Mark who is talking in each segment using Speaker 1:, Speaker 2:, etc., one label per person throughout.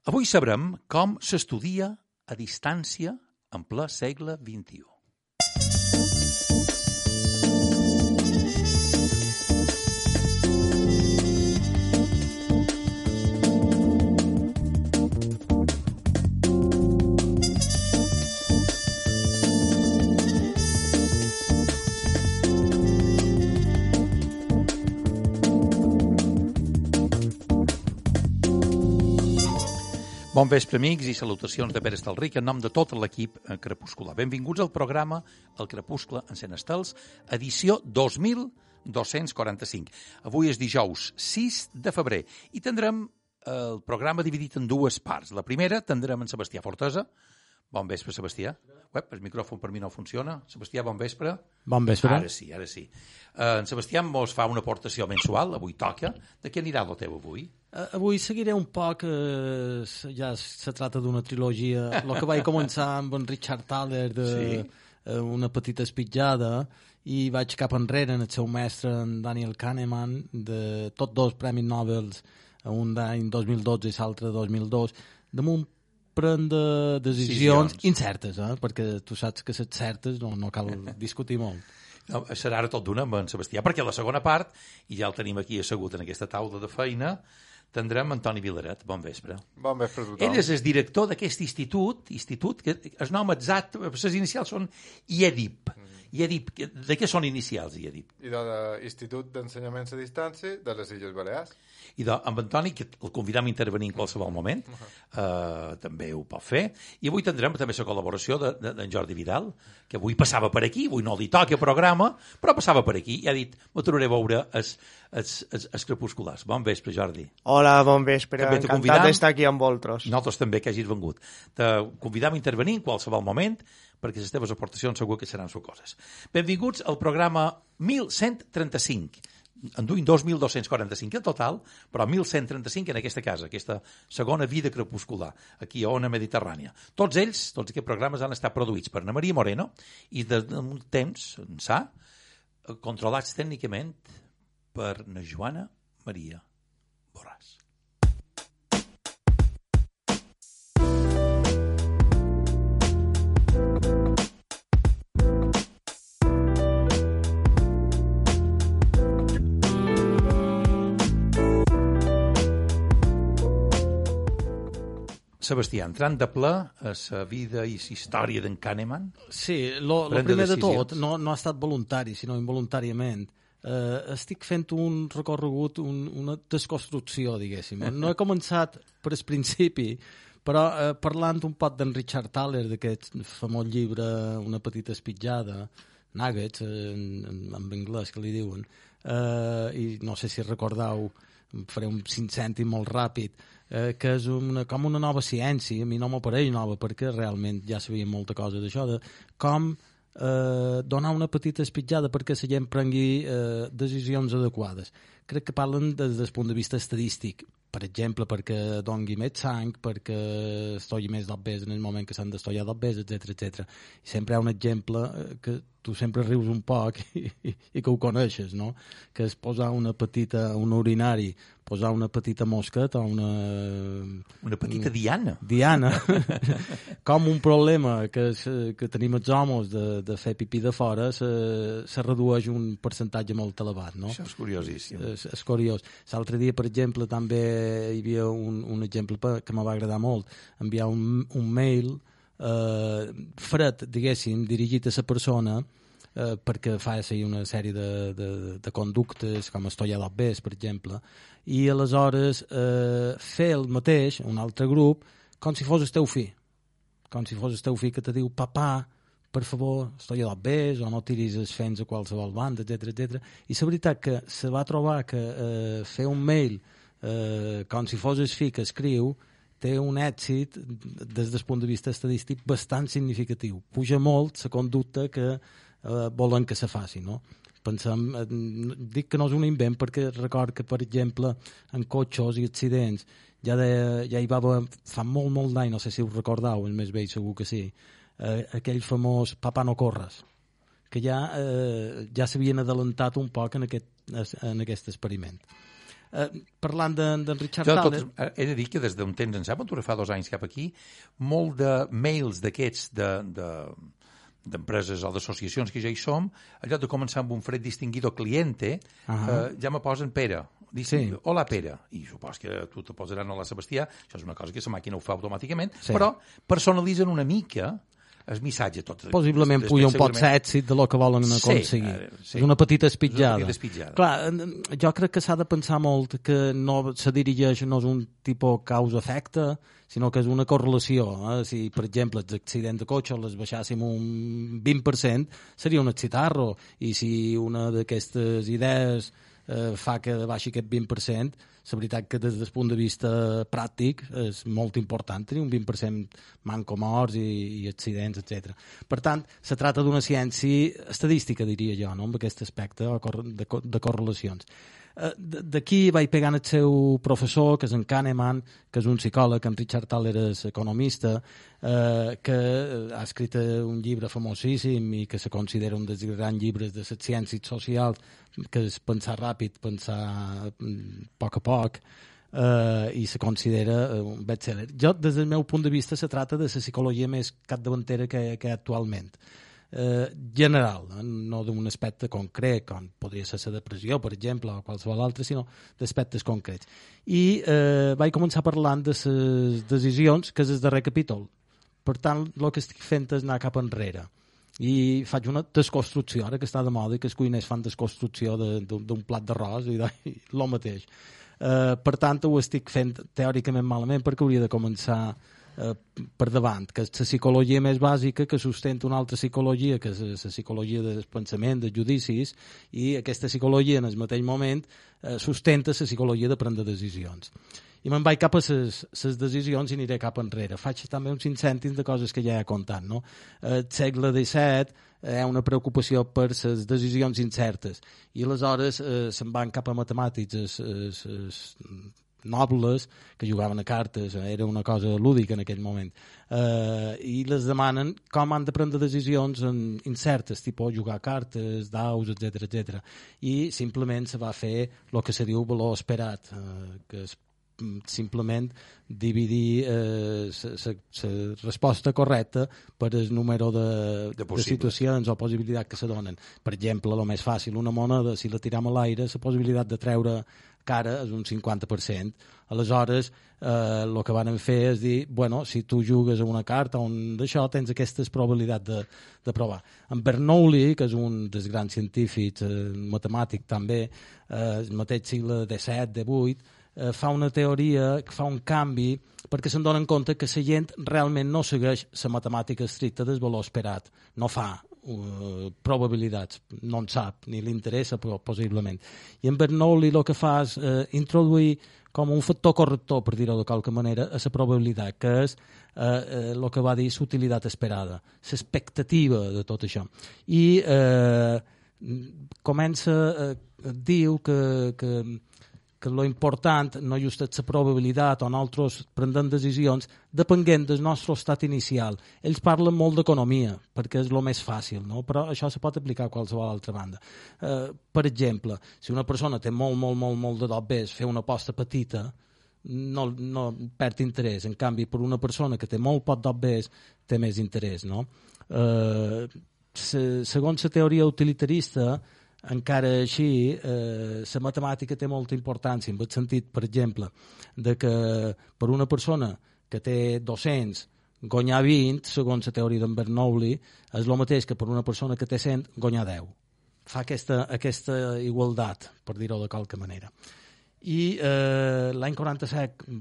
Speaker 1: Avui sabrem com s'estudia a distància en ple segle XXI. Bon vespre, amics, i salutacions de Pere Estalric en nom de tot l'equip Crepuscular. Benvinguts al programa El Crepuscle encén estels, edició 2245. Avui és dijous 6 de febrer i tindrem el programa dividit en dues parts. La primera tindrem en Sebastià Fortesa. Bon vespre, Sebastià. El micròfon per mi no funciona. Sebastià, bon vespre.
Speaker 2: Bon vespre.
Speaker 1: Ara sí. En Sebastià ens fa una aportació mensual, avui toca. De què anirà el teu avui?
Speaker 2: Avui seguiré un poc, ja se tracta d'una trilogia, el que vaig començar amb en Richard Thaler de Una petita espitjada, i vaig cap enrere en el seu mestre, en Daniel Kahneman, de tots dos premis Nobel, un d'any 2012 i l'altre 2002, damunt prendre decisions incertes, perquè tu saps que les certes no cal discutir molt.
Speaker 1: No, serà ara tot d'una amb en Sebastià, perquè la segona part, i ja el tenim aquí assegut en aquesta taula de feina, tindrem Antoni Vilaret. Bon vespre.
Speaker 3: Bon vespre a tothom.
Speaker 1: Ell és el director d'aquest institut que el nom exacte, les inicials són IEDIP. IEDIP, de què són inicials, IEDIP?
Speaker 3: I de l'Institut d'Ensenyaments a Distància de les Illes Balears.
Speaker 1: I amb Antoni, que el convidam a intervenir en qualsevol moment, també ho pot fer. I avui tindrem també la col·laboració d'en Jordi Vidal, que avui passava per aquí, avui no li toca programa, però passava per aquí i ha dit, m'aturaré a veure els crepusculars. Bon vespre, Jordi.
Speaker 4: Hola, bon vespre. Encantat d'estar aquí amb vosaltres.
Speaker 1: Nosaltres també, que hagis vengut. Te convidam a intervenir en qualsevol moment, perquè les teves aportacions segur que seran sucoses. Benvinguts al programa 1135. En duim 2.245 en total, però 1.135 en aquesta casa, aquesta segona vida crepuscular, aquí a Ona Mediterrània. Tots aquests programes han estat produïts per Ana Maria Moreno i d'un temps ençà controlats tècnicament per na Joana Maria Borràs. Sebastià, entrant de ple a la vida i la història d'en Kahneman.
Speaker 2: Sí, el primer de tot no ha estat voluntari, sinó involuntàriament. Estic fent un recorregut, una desconstrucció, diguéssim. No he començat per el principi, però parlant un poc d'en Richard Thaler, d'aquest famós llibre Una petita espitjada, Nuggets, en anglès que li diuen, i no sé si recordeu, faré un 5 cèntim molt ràpid, que és com una nova ciència. A mi no m'apareix nova perquè realment ja sabia molta cosa d'això, de com donar una petita espitjada perquè la gent prengui decisions adequades. Crec que parlen des del punt de vista estadístic, per exemple, perquè doni més sang, perquè estogui més d'obès en el moment que s'han d'estollar d'obès, etc. I sempre hi ha un exemple que tu sempre rius un poc i que ho coneixes, no? Que és posar un urinari, posar una petita mosqueta o
Speaker 1: una petita diana.
Speaker 2: Diana. Com un problema que tenim els homes de fer pipí de fora se redueix un percentatge molt elevat, no?
Speaker 1: Això és curiosíssim.
Speaker 2: És curiós. L'altre dia, per exemple, també hi havia un exemple que m'ha agradar molt. Enviar un mail fred, diguéssim, dirigit a la persona perquè fa una sèrie de conductes com estollar d'obès, per exemple, i aleshores fer el mateix, un altre grup, com si fos el teu fill. Com si fos el teu fill que te diu, papà, per favor, estolla d'obès, o no tiris els fens a qualsevol banda, etc. I la veritat que se va trobar que fer un mail com si fos el fill que escriu té un èxit des del punt de vista estadístic bastant significatiu. Puja molt la conducta que volen que se faci, no? Pensem, dic que no és un invent perquè record que, per exemple, en cotxes i accidents ja hi va haver fa molt d'any, no sé si us recordeu, el més vell segur que sí, aquell famós papà no corres, que ja s'havien adelantat un poc en aquest experiment. Parlant d'en Richard Thaler...
Speaker 1: He de dir que des d'un temps ençà, quan fa 2 anys cap aquí, molt de mails d'aquests d'empreses o d'associacions que ja hi som, en lloc de començar amb un fred distinguido cliente, ja me posen Pere. Hola, Pere. I supos que tu te posaran hola, Sebastià. Això és una cosa que la màquina ho fa automàticament, però personalitzen una mica el missatge tot.
Speaker 2: Possiblement puja un pot l'èxit de lo que volen aconseguir. És una petita espitjada. Clar, jo crec que s'ha de pensar molt que no se dirigeix, no és un tipus causa-efecte, sinó que és una correlació. Si, per exemple, els accidents de cotxe les baixàssim un 20%, seria un excitarro. I si una d'aquestes idees fa que baixi aquest 20%, la veritat que des del punt de vista pràctic és molt important tenir un 20% manco morts i accidents, etc. Per tant, se tracta d'una ciència estadística, diria jo, no? Amb aquest aspecte de correlacions. D'aquí vaig pegant el seu professor, que és en Kahneman, que és un psicòleg, en Richard Thaler és economista, que ha escrit un llibre famosíssim i que se considera un dels grans llibres de les ciències socials, que és pensar ràpid, pensar a poc, i se considera un bestseller. Jo, des del meu punt de vista, se tracta de la psicologia més capdavantera que hi ha actualment. General, no d'un aspecte concret, com podria ser la depressió, per exemple, o qualsevol altre, sinó d'aspectes concrets. I vaig començar parlant de les decisions, que és el darrer capítol. Per tant, el que estic fent és anar cap enrere. I faig una desconstrucció, ara que està de moda i que els cuiners fan desconstrucció d'un plat d'arròs i el mateix. Per tant, ho estic fent teòricament malament perquè hauria de començar per davant, que és la psicologia més bàsica que sustenta una altra psicologia, que és la psicologia del pensament, dels judicis, i aquesta psicologia en el mateix moment sustenta la psicologia de prendre decisions. I me'n vaig cap a les decisions i aniré cap enrere. Faig també uns 5 cèntims de coses que ja he contat. No? El segle XVII hi ha una preocupació per les decisions incertes i aleshores se'n van cap a matemàtics nobles que jugaven a cartes, era una cosa lúdica en aquell moment, i les demanen com han de prendre decisions incertes, tipus jugar a cartes, daus, etc. I simplement se va fer el que se diu valor esperat, que és simplement dividir la resposta correcta per el número de situacions o possibilitats que se donen. Per exemple, el més fàcil, una moneda, si la tiram a l'aire, la possibilitat de treure cara és un 50%. Aleshores, el que van fer és dir, bueno, si tu jugues a una carta o d'això, tens aquesta probabilitat de provar. En Bernoulli, que és un dels grans científics, matemàtic també, el mateix segle XVII, XVIII, fa una teoria que fa un canvi perquè se'n donen compte que la gent realment no segueix la matemàtica estricta del valor esperat, no fa probabilitats, no en sap ni li interessa possiblement. I en Bernoulli el que fa és introduir com un factor corrector, per dir-ho de qualque manera, a la probabilitat, que és el que va dir l'utilitat esperada, l'expectativa de tot això. I diu que lo important no just és la probabilitat o nosaltres prendem decisions depenent del nostre estat inicial. Ells parlen molt d'economia perquè és el més fàcil, no? Però això se pot aplicar a qualsevol altra banda. Per exemple, si una persona té molt de dobbers, fer una aposta petita no perd interès. En canvi, per una persona que té molt poc dobbers té més interès, no? Segons la teoria utilitarista, encara així, la matemàtica té molta importància, en el sentit, per exemple, de que per una persona que té 200 guanyar 20, segons la teoria d'en Bernoulli, és el mateix que per una persona que té 100 guanyar 10. Fa aquesta igualtat, per dir-ho de qualque manera. I l'any 47,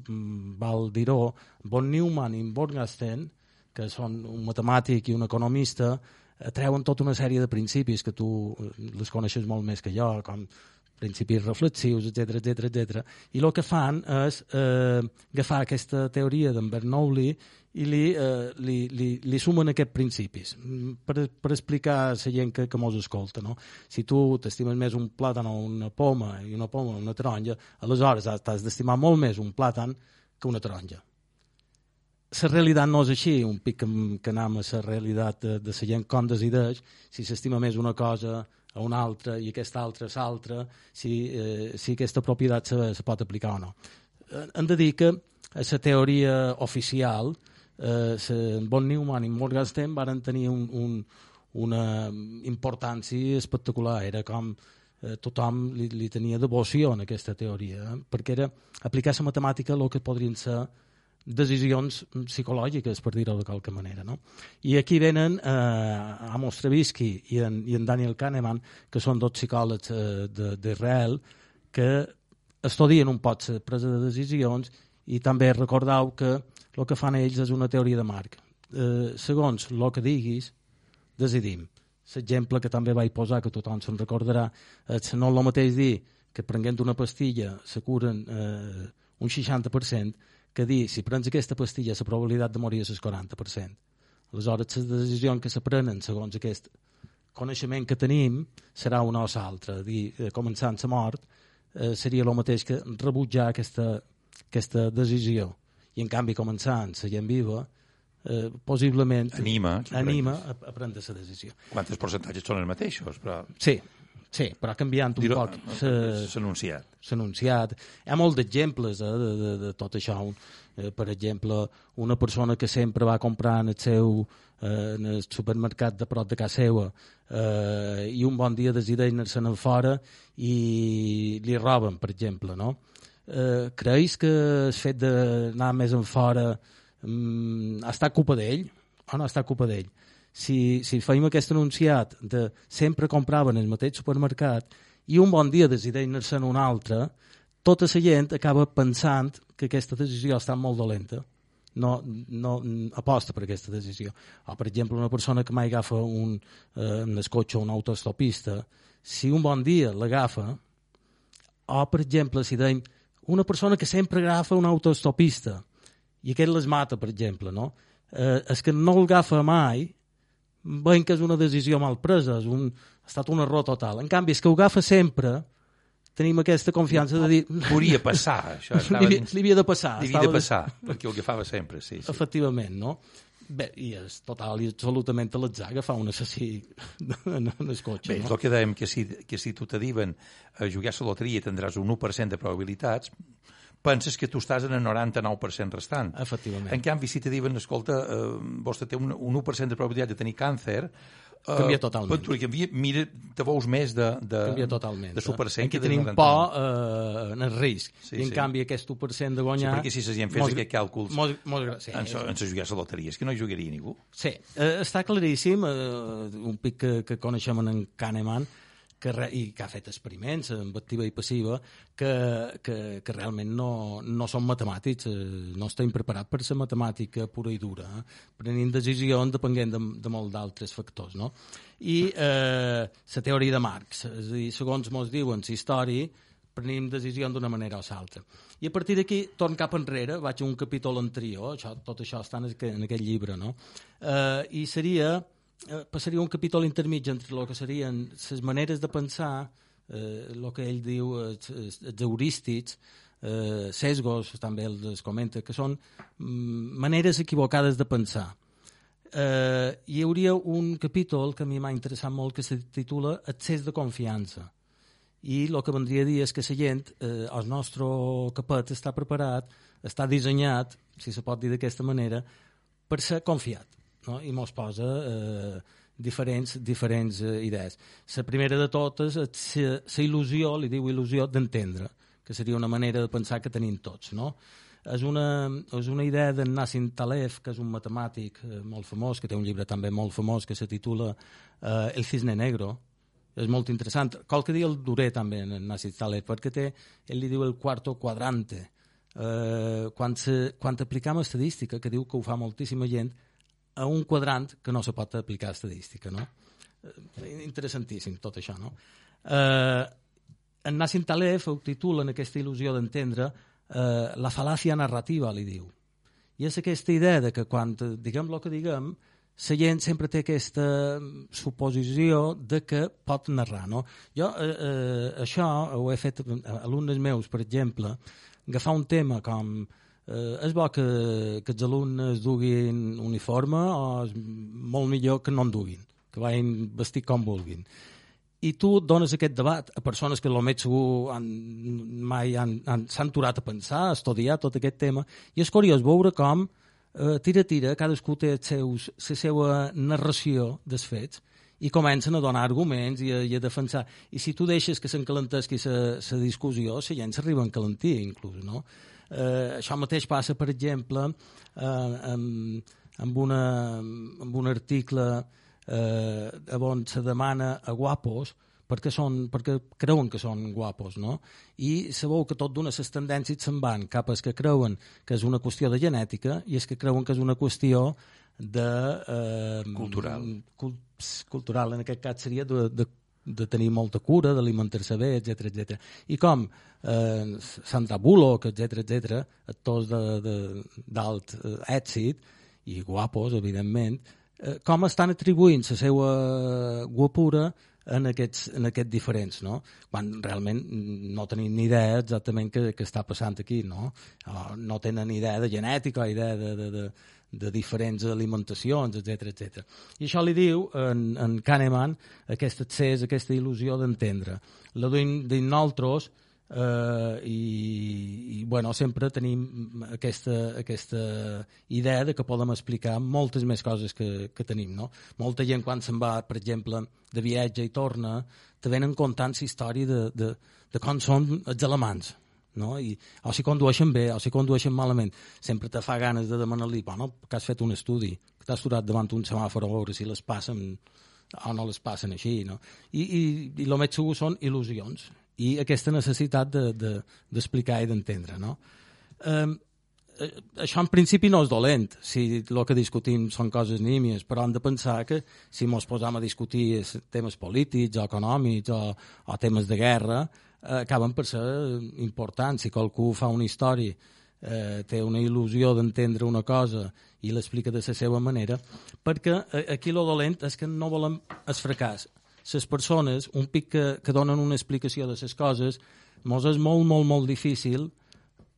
Speaker 2: val dir-ho, von Neumann i Morgenstern, que són un matemàtic i un economista, treuen tota una sèrie de principis que tu les coneixes molt més que jo, com principis reflexius, etc. I el que fan és agafar aquesta teoria d'en Bernoulli i li sumen aquests principis per explicar a la gent que mos escolta. No? Si tu t'estimes més un plàtan o una poma i una poma o una taronja, aleshores t'has d'estimar molt més un plàtan que una taronja. La realitat no és així, un pic que anem a la realitat de la gent com decideix, si s'estima més una cosa a un altre i aquest altre a l'altre, si aquesta propietat se pot aplicar o no. Hem de dir que a la teoria oficial, von Neumann i Morgenstern van tenir una importància espectacular. Era com tothom li tenia devoció en aquesta teoria, perquè era aplicar la matemàtica el que podrien ser decisions psicològiques, per dir-ho de qualque manera, no? I aquí venen Amos Tversky i en Daniel Kahneman, que són dos psicòlegs d'Israel, que estudien un poc la presa de decisions i també recordeu que el que fan ells és una teoria de marc. Segons el que diguis, decidim. L'exemple que també vaig posar, que tothom se'n recordarà, és no el mateix dir que prenent una pastilla se curen un 60%, que dir, si prens aquesta pastilla, la probabilitat de morir és el 40%. Aleshores, les decisions que se prenen segons aquest coneixement que tenim serà una o l'altra. Començant la mort seria el mateix que rebutjar aquesta decisió. I, en canvi, començant la gent viva, possiblement
Speaker 1: anima
Speaker 2: a prendre la decisió.
Speaker 1: Quantes percentatges són els mateixos? Però...
Speaker 2: Sí, però canviant un poc s'anunciat. Hi ha molts d'exemples de tot això. Per exemple, una persona que sempre va comprar en el supermercat de prop de casa seva i un bon dia decideix anar-se'n fora i li roben, per exemple, no? Creus que el fet d'anar més en fora ha estat culpa d'ell o no ha estat culpa d'ell? Si feim aquest anunciat de sempre compraven el mateix supermercat i un bon dia decideix anar-se'n un altre, tota la gent acaba pensant que aquesta decisió està molt dolenta. No aposta per aquesta decisió. O, per exemple, una persona que mai agafa en el cotxe una autostopista, si un bon dia l'agafa, o, per exemple, si deim una persona que sempre agafa una autostopista i aquest les mata, per exemple, no? És que no l'agafa mai, veiem que és una decisió mal presa, ha estat un error total. En canvi, és que ho agafa sempre, tenim aquesta confiança de dir...
Speaker 1: Podria passar, això.
Speaker 2: Li havia de passar.
Speaker 1: Li havia de passar, perquè ho agafava sempre, sí.
Speaker 2: Efectivament, no? Bé, i és total i absolutament a l'atzar agafar un assassí en el cotxe.
Speaker 1: Bé, és el que dèiem, que si tu te diuen a jugar a la loteria tindràs un 1% de probabilitats, penses que tu estàs en el 99% restant.
Speaker 2: Efectivament.
Speaker 1: En canvi, si te diuen, escolta, vostè té un 1% de probabilitat de tenir càncer,
Speaker 2: canvia totalment.
Speaker 1: Mira, te veus més de supercent.
Speaker 2: Aquí tenim por en el risc. I en canvi aquest 1% de guanyar...
Speaker 1: Sí, perquè si la gent fes aquests càlculs en se jugar a la loteria, és que no hi jugaria ningú.
Speaker 2: Sí, està claríssim, un pic que coneixem en Kahneman, i que ha fet experiments amb activa i passiva que realment no són matemàtics, no estem preparats per ser matemàtica pura i dura, prenent decisions depenent de molts d'altres factors, no? I la teoria de Marx, és a dir, segons ens diuen la història, prenem decisions d'una manera o l'altra. I a partir d'aquí, torn cap enrere, vaig a un capítol anterior, tot això està en aquest llibre, no? I passaria un capítol intermig entre el que serien les maneres de pensar, el que ell diu els heurístics, sesgos, també els comenta, que són maneres equivocades de pensar. Hi hauria un capítol que a mi m'ha interessat molt que se titula Excés de confiança. I el que vendria a dir és que la gent, el nostre capet està preparat, està dissenyat, si se pot dir d'aquesta manera, per ser confiat. No? I mos posa diferents idees. La primera de totes és la il·lusió, li diu il·lusió d'entendre, que seria una manera de pensar que tenim tots. No? És una idea d'en Nassim Taleb, que és un matemàtic molt famós, que té un llibre també molt famós que se titula El cisne negro. És molt interessant. Qualque dia el duré també en Nassim Taleb, perquè ell li diu el quarto quadrante. Quan aplicam estadística, que diu que ho fa moltíssima gent, a un quadrant que no se pot aplicar estadística, no? Interessantíssim tot això, no? En Nassim Taleb ho titula en aquesta il·lusió d'entendre la fal·làcia narrativa, li diu. I és aquesta idea de que quan diguem el que diguem, la gent sempre té aquesta suposició de que pot narrar, no? Jo això ho he fet a alumnes meus, per exemple, agafar un tema com és bo que els alumnes duguin uniforme o és molt millor que no en duguin, que vagin vestit com vulguin. i tu dones aquest debat a persones que potser segur mai s'han aturat a pensar, a estudiar tot aquest tema, i és curiós veure com tira, cadascú té la seva narració dels fets i comencen a donar arguments i a defensar. I si tu deixes que s'encalentesqui la discussió, la gent s'arriba a encalentir, inclús, no? Això mateix passa, per exemple, amb un article on se demana a guapos perquè creuen que són guapos, no? I sabeu que tot d'una les tendències se'n van cap als que creuen que és una qüestió de genètica i és que creuen que és una qüestió de... cultural, en aquest cas seria de tenir molta cura, d'alimentar-se bé, etc. I com Sandra Bullock, etc., actors d'alt èxit i guapos, evidentment, com estan atribuint la seva guapura en aquests diferents, no? Quan realment no tenim ni idea exactament què està passant aquí, no? No tenen ni idea de genètica, idea de diferents alimentacions, etc. I això li diu en Kahneman aquest accés, aquesta il·lusió d'entendre. La duim dins nosaltres i bueno, sempre tenim aquesta idea de que podem explicar moltes més coses que tenim, no? Molta gent quan se'n va, per exemple, de viatge i torna, te venen contant la història de com són els alemans, no? O si condueixen bé, o si condueixen malament. Sempre te fa ganes de demanar-li, bueno, que has fet un estudi, que t'has aturat davant un semàfor a veure si les passen o no les passen així, no? I el més segur són il·lusions i aquesta necessitat d'explicar i d'entendre, no? Això en principi no és dolent, si el que discutim són coses nímies, però hem de pensar que si ens posam a discutir temes polítics o econòmics o temes de guerra, acaben per ser importants. Si qualcú fa una història, té una il·lusió d'entendre una cosa i l'explica de la seva manera, perquè aquí el dolent és que no volem el fracàs. Les persones, un pic que donen una explicació de les coses, ens és molt, molt, molt difícil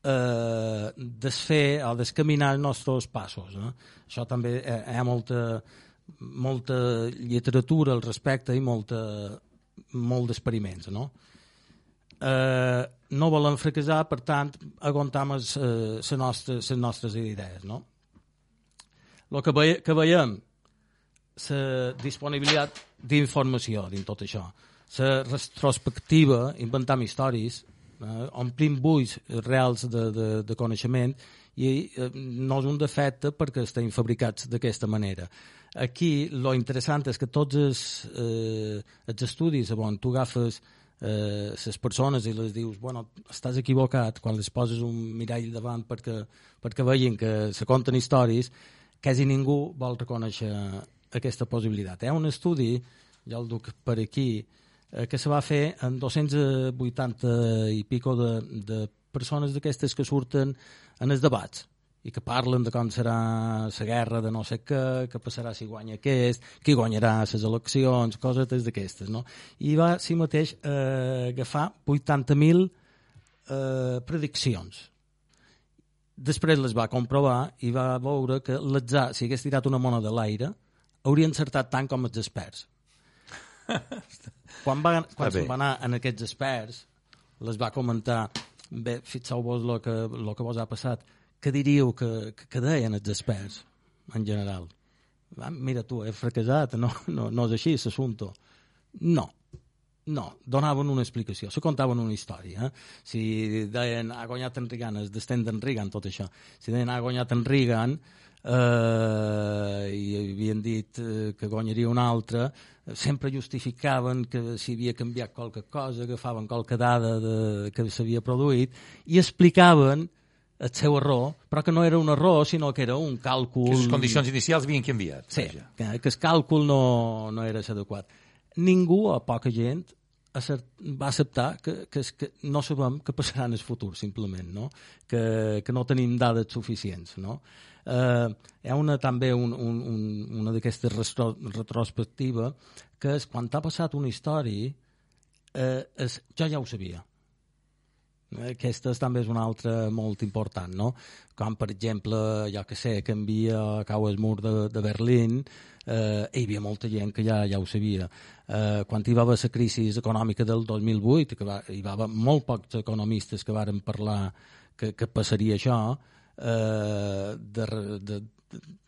Speaker 2: desfer o descaminar els nostres passos, no? Això també hi ha molta literatura al respecte i molt d'experiments, no? No volem fracassar, per tant, aguantam les nostres idees, no? El que veiem, la disponibilitat d'informació dins tot això, la retrospectiva, inventam històries, omplim buits reals de coneixement i no és un defecte perquè estem fabricats d'aquesta manera. Aquí lo interessant és que tots els estudis on tu agafes les persones i les dius, bueno, estàs equivocat, quan les poses un mirall davant perquè vegin que se conten històries, quasi ningú vol reconèixer aquesta possibilitat. Hi ha un estudi, ja el duc per aquí, que se va fer en 280 i pico de persones d'aquestes que surten en els debats i que parlen de com serà la guerra de no sé què passarà si guanya aquest, qui guanyarà les eleccions, coses d'aquestes, no? I va, si mateix, agafar 80.000 prediccions. Després les va comprovar i va veure que l'atzar, si hagués tirat una moneda a l'aire, hauria encertat tant com els experts. Quan se'n va anar en aquests experts, les va comentar, bé, fixeu-vos el que vos ha passat, què diríeu que deien els experts, en general? Mira tu, he fracassat, no és així, l'assumpte. No, donaven una explicació, se contaven una història. Si deien, ha guanyat en Reagan, es destent d'en Reagan, tot això. Si deien, ha guanyat en Reagan, i havien dit que guanyaria un altre, sempre justificaven que si havia canviat qualque cosa, agafaven qualque dada que s'havia produït i explicaven el seu error, però que no era un error, sinó que era un càlcul...
Speaker 1: Que les condicions inicials havien canviat.
Speaker 2: Sí, que el càlcul no era adequat. Ningú, o poca gent, va acceptar que no sabem què passarà en el futur, simplement, no? Que no tenim dades suficients, no? Hi ha també una d'aquestes retrospectives que és quan t'ha passat una història jo ja ho sabia, Aquesta també és una altra molt important, no? Com, per exemple, jo que sé, canvia cau el mur de Berlín, hi havia molta gent que ja ho sabia. Quan hi va haver la crisi econòmica del 2008, hi va haver molt pocs economistes que varen parlar que passaria això,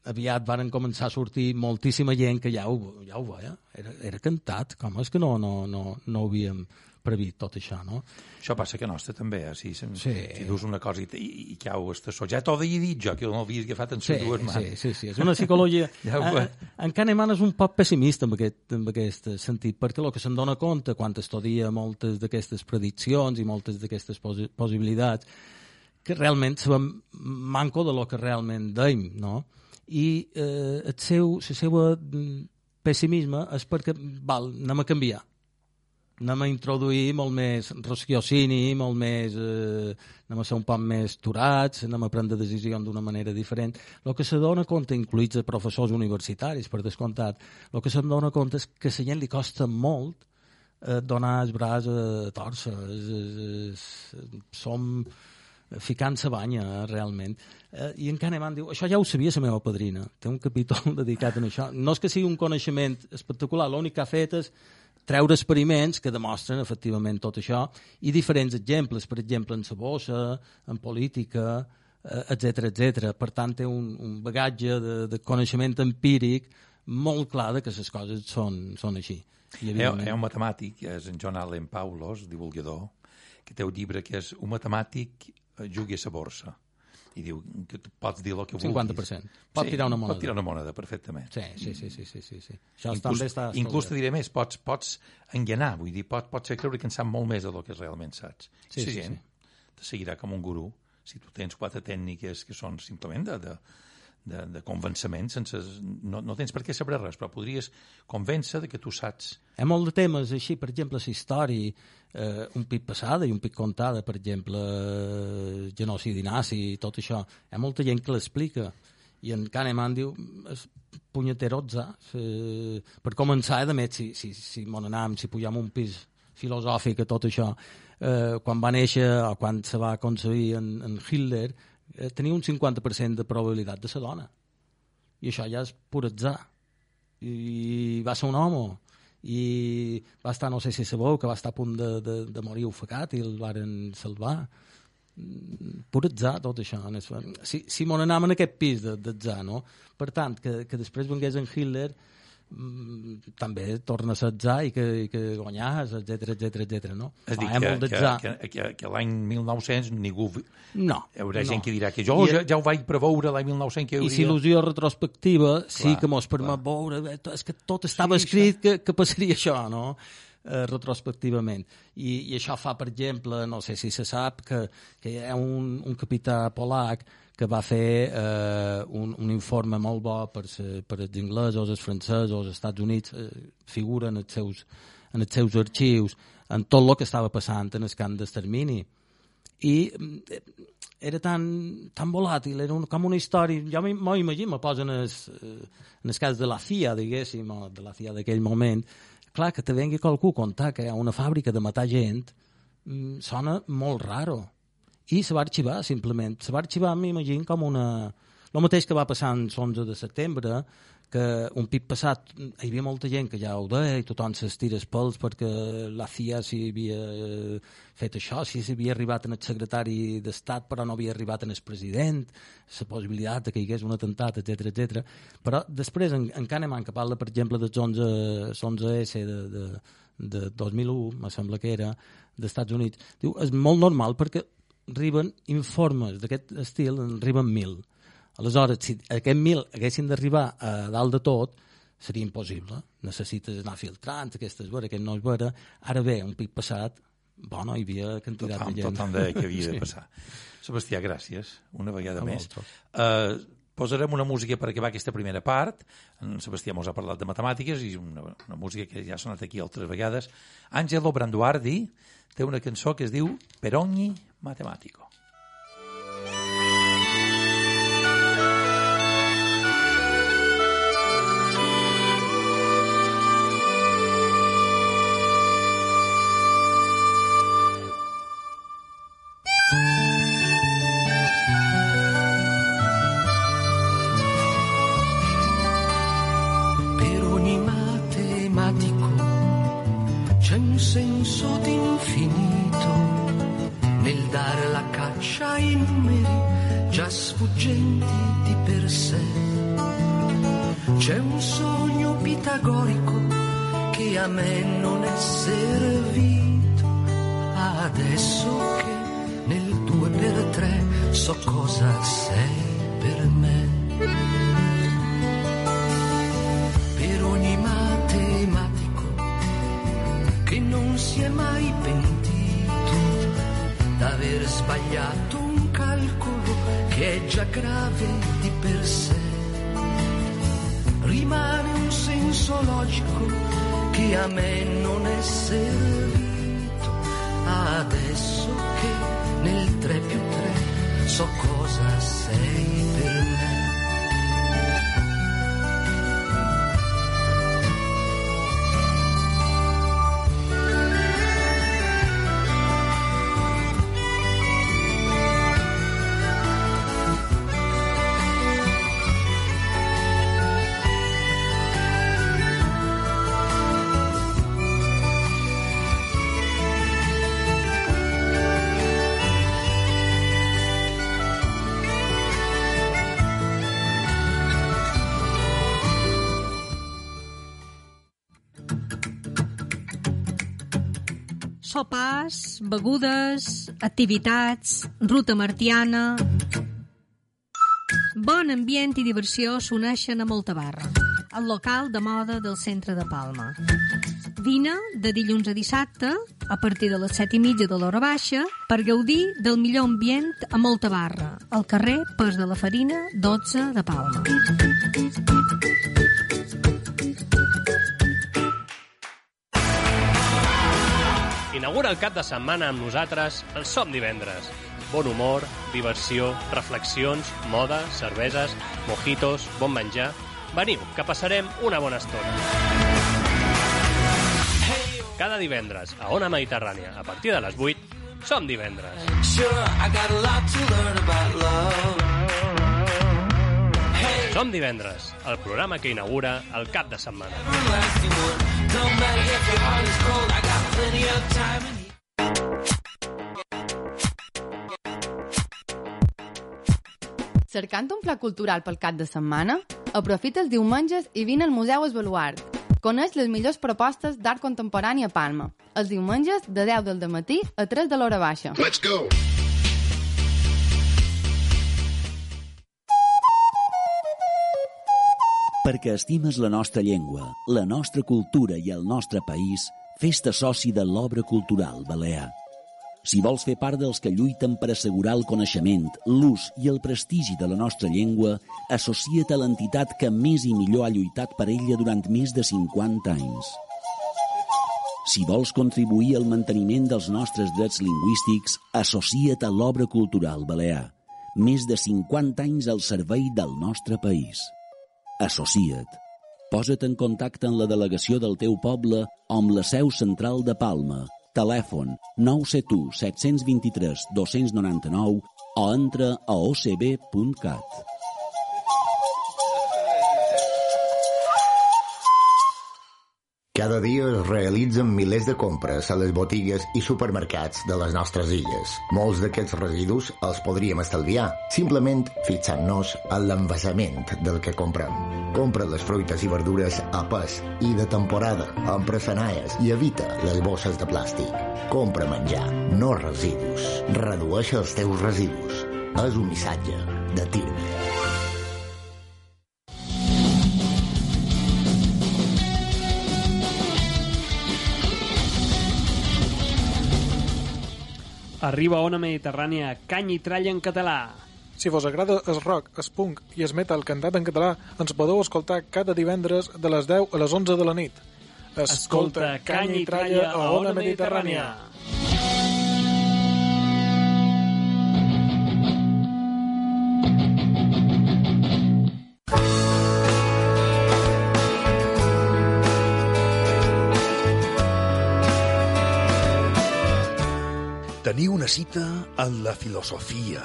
Speaker 2: aviat varen començar a sortir moltíssima gent que ja ho veia. Era cantat, com és que no havíem previst tot això, no?
Speaker 1: Això passa que nostre també, si dius una cosa i cau estàs ja t'ho havia dit jo, que no l'havia agafat en les dues mans.
Speaker 2: Sí, és una psicologia... En Kahneman és un poc pessimista en aquest sentit, perquè el que se'n dona compte quan estudia moltes d'aquestes prediccions i moltes d'aquestes possibilitats, que realment sabem manco de lo que realment deim, no? I el seu pessimisme és perquè anem a canviar, anem a introduir molt més raciocini, molt més, anem a ser un poc més turats, anem a prendre decisions d'una manera diferent. El que se dona compte, incluïts professors universitaris, per descomptat, el que se dona compte és que a la gent li costa molt donar el braç a torça. Som ficant-se banya, realment. I en Kahneman diu, això ja ho sabia la meva padrina, té un capítol dedicat a això. No és que sigui un coneixement espectacular, l'únic que ha fet és treure experiments que demostren efectivament tot això i diferents exemples, per exemple, en la bossa, en política, etc. Per tant, té un bagatge de coneixement empíric molt clar de que les coses són així.
Speaker 1: Hi ha un matemàtic, que és en John Allen Paulos, divulgador, que té un llibre que és un matemàtic jugui a la borsa i diu que tu pots dir el que vulguis.
Speaker 2: 50%. Pot tirar una moneda.
Speaker 1: Pot tirar una moneda, perfectament.
Speaker 2: Sí. Això
Speaker 1: inclús te diré més, pots enganar, vull dir, pots fer creure que en sap molt més del que realment saps. Sí. Te seguirà com un gurú si tu tens 4 tècniques que són simplement de convenciment, no tens per què saber res, però podries convèncer de que tu saps.
Speaker 2: Hi ha molt de temes així, per exemple, la història, un pic passada i un pic contada, per exemple, genocidi nazi i tot això. Hi ha molta gent que l'explica. I en Kahneman diu, és punyeterotza. Per començar, a més, si mon anam, si pugem un pis filosòfic a tot això, quan va néixer o quan se va concebir en Hitler, tenia un 50% de probabilitat de ser dona. I això ja és pur atzar. I va ser un home. I va estar, no sé si sabeu, que va estar a punt de morir ofegat i el varen salvar. Pur atzar, tot això. Si mon anàvem en aquest pis d'atzar, no? Per tant, que després vengués en Hitler també torna a ser atzar i que guanyàs, etc. No?
Speaker 1: És a dir, que l'any 1900 ningú...
Speaker 2: No.
Speaker 1: Hi haurà gent que dirà que jo ja ho vaig preveure l'any 1900 que hauria...
Speaker 2: I si il·lusió retrospectiva sí que mos permet veure, és que tot estava escrit que passaria això, no? Retrospectivament. I això fa, per exemple, no sé si se sap, que hi ha un capità polac que va fer un informe molt bo per els inglesos, els francesos, els Estats Units, figura en els seus arxius, en tot el que estava passant en el camp d'extermini. I era tan volàtil, era com una història... Jo m'ho imagino, me poso en el cas de la CIA, diguéssim, o de la CIA d'aquell moment. Clar, que te vengui qualcú a contar que hi ha una fàbrica de matar gent sona molt raro. I se va arxivar, simplement. Se va arxivar, m'imagino, com una... El mateix que va passar el 11 de setembre, que un pic passat hi havia molta gent que ja ho deia i tothom s'estira els pèls perquè la CIA s'hi havia fet això, si s'havia arribat en el secretari d'Estat però no havia arribat en el president, la possibilitat que hi hagués un atemptat, etc. Però després, en Kahneman, que parla, per exemple, dels 11S de 2001, me sembla que era, d'Estats Units, diu, és molt normal perquè arriben informes d'aquest estil, en arriben 1.000. Aleshores, si aquests 1.000 haguessin d'arribar a dalt de tot, seria impossible. Necessites anar filtrant aquestes veres, aquest no és vera. Ara bé, un pic passat, bueno, hi havia quantitat de gent.
Speaker 1: Tothom deia que havia de passar. Sebastià, gràcies, una vegada més. Posarem una música per acabar aquesta primera part. En Sebastià mos ha parlat de matemàtiques i una música que ja ha sonat aquí altres vegades. Angelo Branduardi té una cançó que es diu Per ogni matematico.
Speaker 5: dare la caccia ai numeri già sfuggenti di per sé. C'è un sogno pitagorico che a me non è servito, adesso che nel 2x3 so cosa sei per me. Per ogni matematico che non si è mai pentito d'aver sbagliato un calcolo che è già grave di per sé, rimane un senso logico che a me non è servito, adesso che nel 3+3 so cosa sei per me.
Speaker 6: Sopars, begudes, activitats, ruta martiana... Bon ambient i diversió s'uneixen a Moltabarra, el local de moda del centre de Palma. Vine de dilluns a dissabte, a partir de les 7:30 de l'hora baixa, per gaudir del millor ambient a Moltabarra, al carrer Pas de la Farina, 12 de Palma.
Speaker 7: Inaugura el cap de setmana amb nosaltres el Som Divendres. Bon humor, diversió, reflexions, moda, cerveses, mojitos, bon menjar... Veniu, que passarem una bona estona. Cada divendres, a Ona Mediterrània, a partir de les 8, Som Divendres. Som Divendres, el programa que inaugura el cap de setmana.
Speaker 8: Cercant un pla cultural pel cap de setmana? Aprofita els diumenges i vine al Museu Esbaluart. Coneix les millors propostes d'art contemporani a Palma. Els diumenges de 10 del dematí a 3 de l'hora baixa.
Speaker 9: Let's go!
Speaker 10: Perquè estimes la nostra llengua, la nostra cultura i el nostre país, fes-te soci de l'Obra Cultural Balear. Si vols fer part dels que lluiten per assegurar el coneixement, l'ús i el prestigi de la nostra llengua, associa't a l'entitat que més i millor ha lluitat per ella durant més de 50 anys. Si vols contribuir al manteniment dels nostres drets lingüístics, associa't a l'Obra Cultural Balear. Més de 50 anys al servei del nostre país. Associa't. Posa't en contacte amb la delegació del teu poble o amb la seu central de Palma. Telèfon 971 723 299 o entra a ocb.cat.
Speaker 9: Cada dia es realitzen milers de compres a les botigues i supermercats de les nostres illes. Molts d'aquests residus els podríem estalviar, simplement fixant-nos en l'envasament del que comprem. Compra les fruites i verdures a pes i de temporada, amb pressanaies, i evita les bosses de plàstic. Compra menjar, no residus. Redueix els teus residus. És un missatge de Tirme.
Speaker 11: Arriba a Ona Mediterrània, canya i tralla en català.
Speaker 12: Si vos agrada el rock, el punk i el metal cantat en català, ens podeu escoltar cada divendres de les 10 a les 11 de la nit. Escolta canya i tralla a Ona Mediterrània.
Speaker 13: Teniu una cita en la filosofia,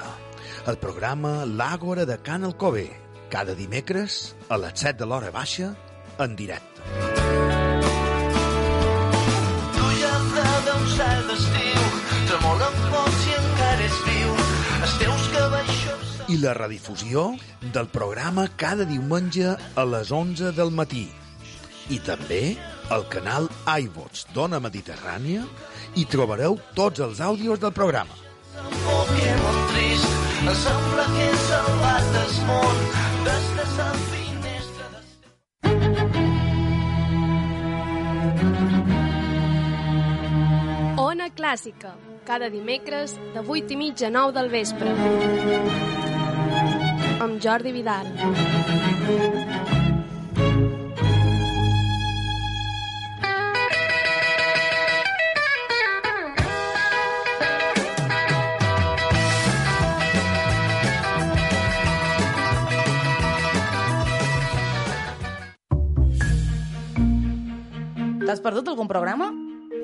Speaker 13: el programa L'Àgora de Can Alcover, cada dimecres a les 7 de l'hora baixa, en directe.
Speaker 5: Tu ja prou d'un cel d'estiu, tremolen pols i encara
Speaker 13: i la redifusió del programa cada diumenge a les 11 del matí. I també al canal iVox d'Ona Mediterrània hi trobareu tots els àudios del programa.
Speaker 5: Pokémon trist, sembla que he salvat el món des de sa finestra de...
Speaker 14: Ona Clàssica, cada dimecres de 8:30 a 9 del vespre. Amb Jordi Vidal.
Speaker 15: T'has perdut algun programa?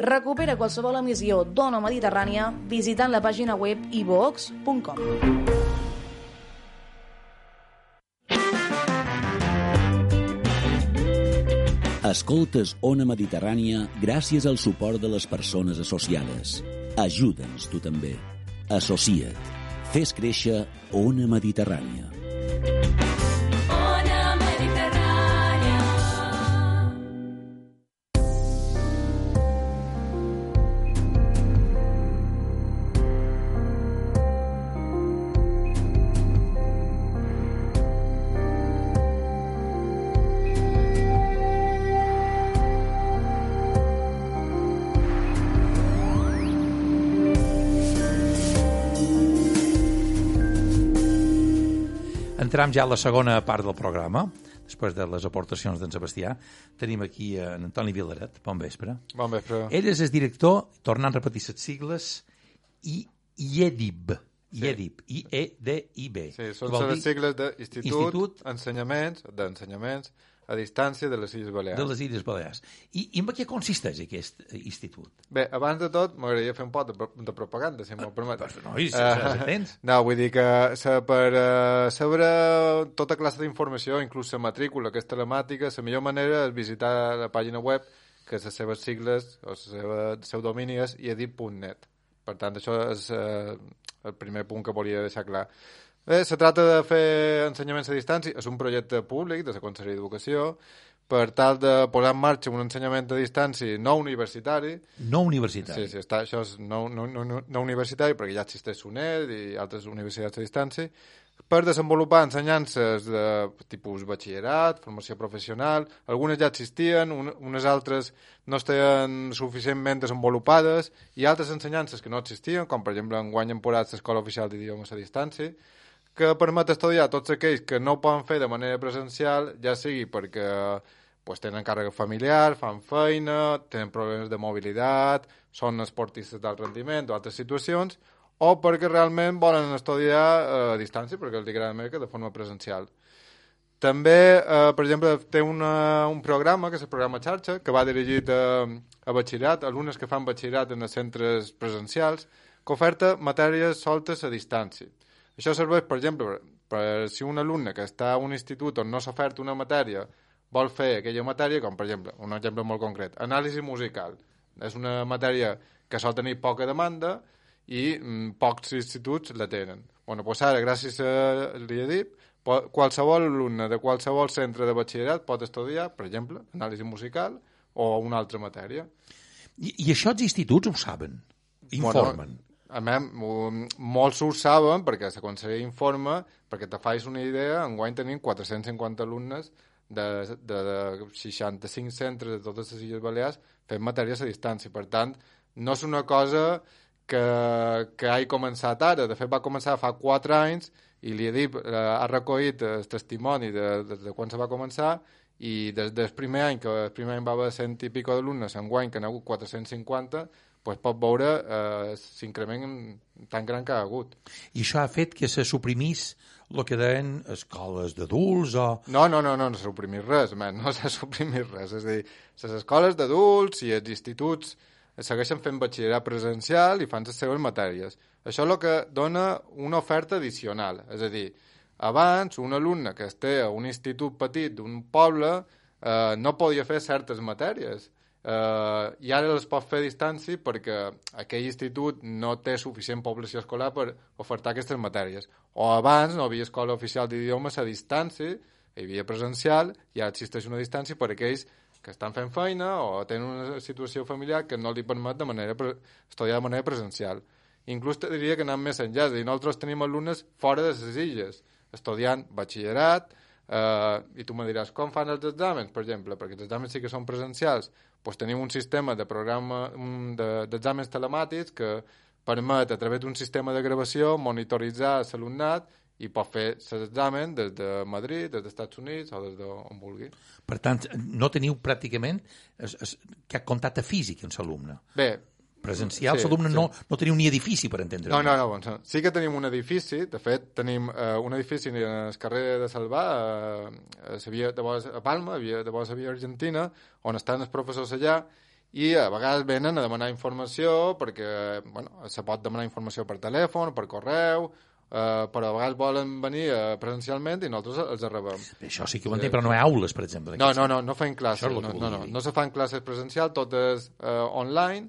Speaker 15: Recupera qualsevol emissió d'Ona Mediterrània visitant la pàgina web iVox.com.
Speaker 10: Escoltes Ona Mediterrània gràcies al suport de les persones associades. Ajuda'ns tu també. Associa't. Fes créixer Ona Mediterrània.
Speaker 1: Entrem ja a la segona part del programa, després de les aportacions d'en Sebastià. Tenim aquí en Antoni Vilaret. Bon vespre.
Speaker 3: Bon vespre.
Speaker 1: Ell és el director, tornant a repetir les sigles, IEDIB. IEDIB. I-E-D-I-B.
Speaker 3: Sí, són les sigles d'Institut d'Ensenyaments a Distància de les Illes Balears.
Speaker 1: De les Illes Balears. I en què consisteix aquest institut?
Speaker 3: Bé, abans de tot, m'agradaria fer un pot de propaganda, si m'ho permet.
Speaker 1: No,
Speaker 3: vull dir que per saber tota classe d'informació, inclús la matrícula, que és telemàtica, la millor manera és visitar la pàgina web, que les seves sigles, o el seu domini és iedib.net. Per tant, això és el primer punt que volia deixar clar. Bé, se trata de fer ensenyaments a distància. És un projecte públic de la Conselleria d'Educació per tal de posar en marxa un ensenyament a distància no universitari.
Speaker 1: No universitari.
Speaker 3: Sí, això és no universitari perquè ja existeix UNED i altres universitats a distància per desenvolupar ensenyances de tipus batxillerat, formació professional. Algunes ja existien, unes altres no estaven suficientment desenvolupades i altres ensenyances que no existien, com per exemple enguany hem posat l'Escola Oficial d'Idiomes a Distància, que permet estudiar tots aquells que no ho poden fer de manera presencial, ja sigui perquè tenen càrrega familiar, fan feina, tenen problemes de mobilitat, són esportistes d'alt rendiment o altres situacions, o perquè realment volen estudiar a distància, perquè els agrada més que de forma presencial. També, per exemple, té un programa, que és el programa xarxa, que va dirigit a batxillerat, alumnes que fan batxillerat en els centres presencials, que oferta matèries soltes a distància. Això serveix, per exemple, per si un alumne que està a un institut on no s'ha ofert una matèria vol fer aquella matèria, com per exemple, un exemple molt concret, anàlisi musical. És una matèria que sol tenir poca demanda i pocs instituts la tenen. Doncs ara, gràcies a l'IEDIB, qualsevol alumne de qualsevol centre de batxillerat pot estudiar, per exemple, anàlisi musical o una altra matèria.
Speaker 1: I això els instituts ho saben? Informen?
Speaker 3: Molts ho saben perquè la Conselleria informa, perquè te fais una idea, enguany tenim 450 alumnes de 65 centres de totes les Illes Balears fent matèries a distància. Per tant, no és una cosa que hagi començat ara. De fet, va començar fa 4 anys i l'IEDIB ha recollit el testimoni de quan se va començar i des del primer any, que el primer any va haver 100 i pico d'alumnes, enguany que n'ha hagut 450, pot veure l'increment tan gran que ha hagut.
Speaker 1: I això ha fet que se suprimís el que deien escoles d'adults o...
Speaker 3: No s'ha suprimit res, no s'ha suprimit res. És a dir, les escoles d'adults i els instituts segueixen fent batxillerat presencial i fan les seves matèries. Això és el que dona una oferta addicional. És a dir, abans un alumne que esté a un institut petit d'un poble no podia fer certes matèries. i ara les pot fer a distància perquè aquell institut no té suficient població escolar per ofertar aquestes matèries. O abans no havia escola oficial d'idiomes a distància, hi havia presencial, i ara existeix una distància per a aquells que estan fent feina o tenen una situació familiar que no li permet estudiar de manera presencial. Inclús te diria que anem més enllà, és a dir, nosaltres tenim alumnes fora de les illes, estudiant batxillerat, i tu me diràs, com fan els exàmens, per exemple? Perquè els exàmens sí que són presencials. Doncs tenim un sistema de programa d'exàmens telemàtics que permet, a través d'un sistema de gravació, monitoritzar l'alumnat i pot fer l'examen des de Madrid, des dels Estats Units o des d'on vulgui.
Speaker 1: Per tant, no teniu pràcticament cap contacte físic amb l'alumne?
Speaker 3: Bé,
Speaker 1: presencial, l'alumne no teniu ni edifici, per entendre.
Speaker 3: No. Sí que tenim un edifici, de fet, tenim un edifici al carrer de Salvà, a Palma, de vora la via Argentina, on estan els professors allà, i a vegades venen a demanar informació, perquè se pot demanar informació per telèfon, per correu, però a vegades volen venir presencialment i nosaltres els rebem.
Speaker 1: Això sí que ho entenc, però no hi ha aules, per exemple.
Speaker 3: No fem classes, no se fan classes presencials, tot és online.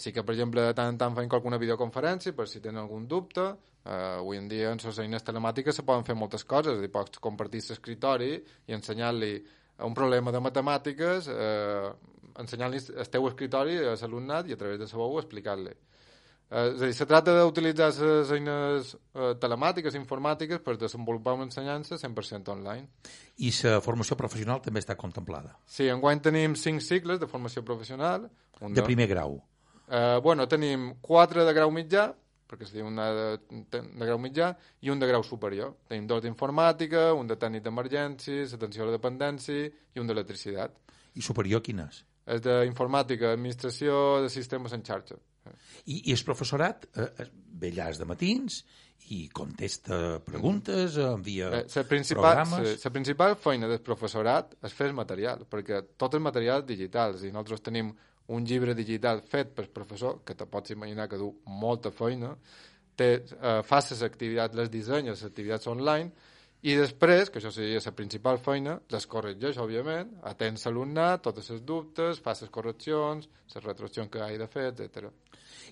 Speaker 3: Sí que, per exemple, de tant en tant fem alguna videoconferència per si tenen algun dubte. Avui en dia en les eines telemàtiques se poden fer moltes coses, i pots compartir l'escriptori i ensenyar-li un problema de matemàtiques, ensenyar-li el teu escriptori a l'alumnat i a través de la veu explicar-li. És a dir, se tracta d'utilitzar les eines telemàtiques, informàtiques, per desenvolupar una ensenyança 100% online.
Speaker 1: I la formació professional també està contemplada?
Speaker 3: Sí, enguany tenim 5 cicles de formació professional.
Speaker 1: De primer grau?
Speaker 3: Tenim 4 de grau mitjà, perquè es diu una de grau mitjà, i un de grau superior. Tenim 2 d'informàtica, un de tècnic d'emergències, atenció a la dependència i un d'electricitat.
Speaker 1: I superior quin és?
Speaker 3: És d'informàtica, administració de sistemes en xarxa.
Speaker 1: I el professorat ve allà de matins i contesta preguntes, envia programes...
Speaker 3: La principal feina del professorat és fer el material, perquè tot el material és digital. És a dir, nosaltres tenim un llibre digital fet pel professor, que te pots imaginar que du molta feina, fa les activitats, les dissenya, les activitats online, i després, que això seria la principal feina, les corregeix, òbviament, atén l'alumnat, tots els dubtes, fa les correccions, les retroaccions que hagi de fer, etc.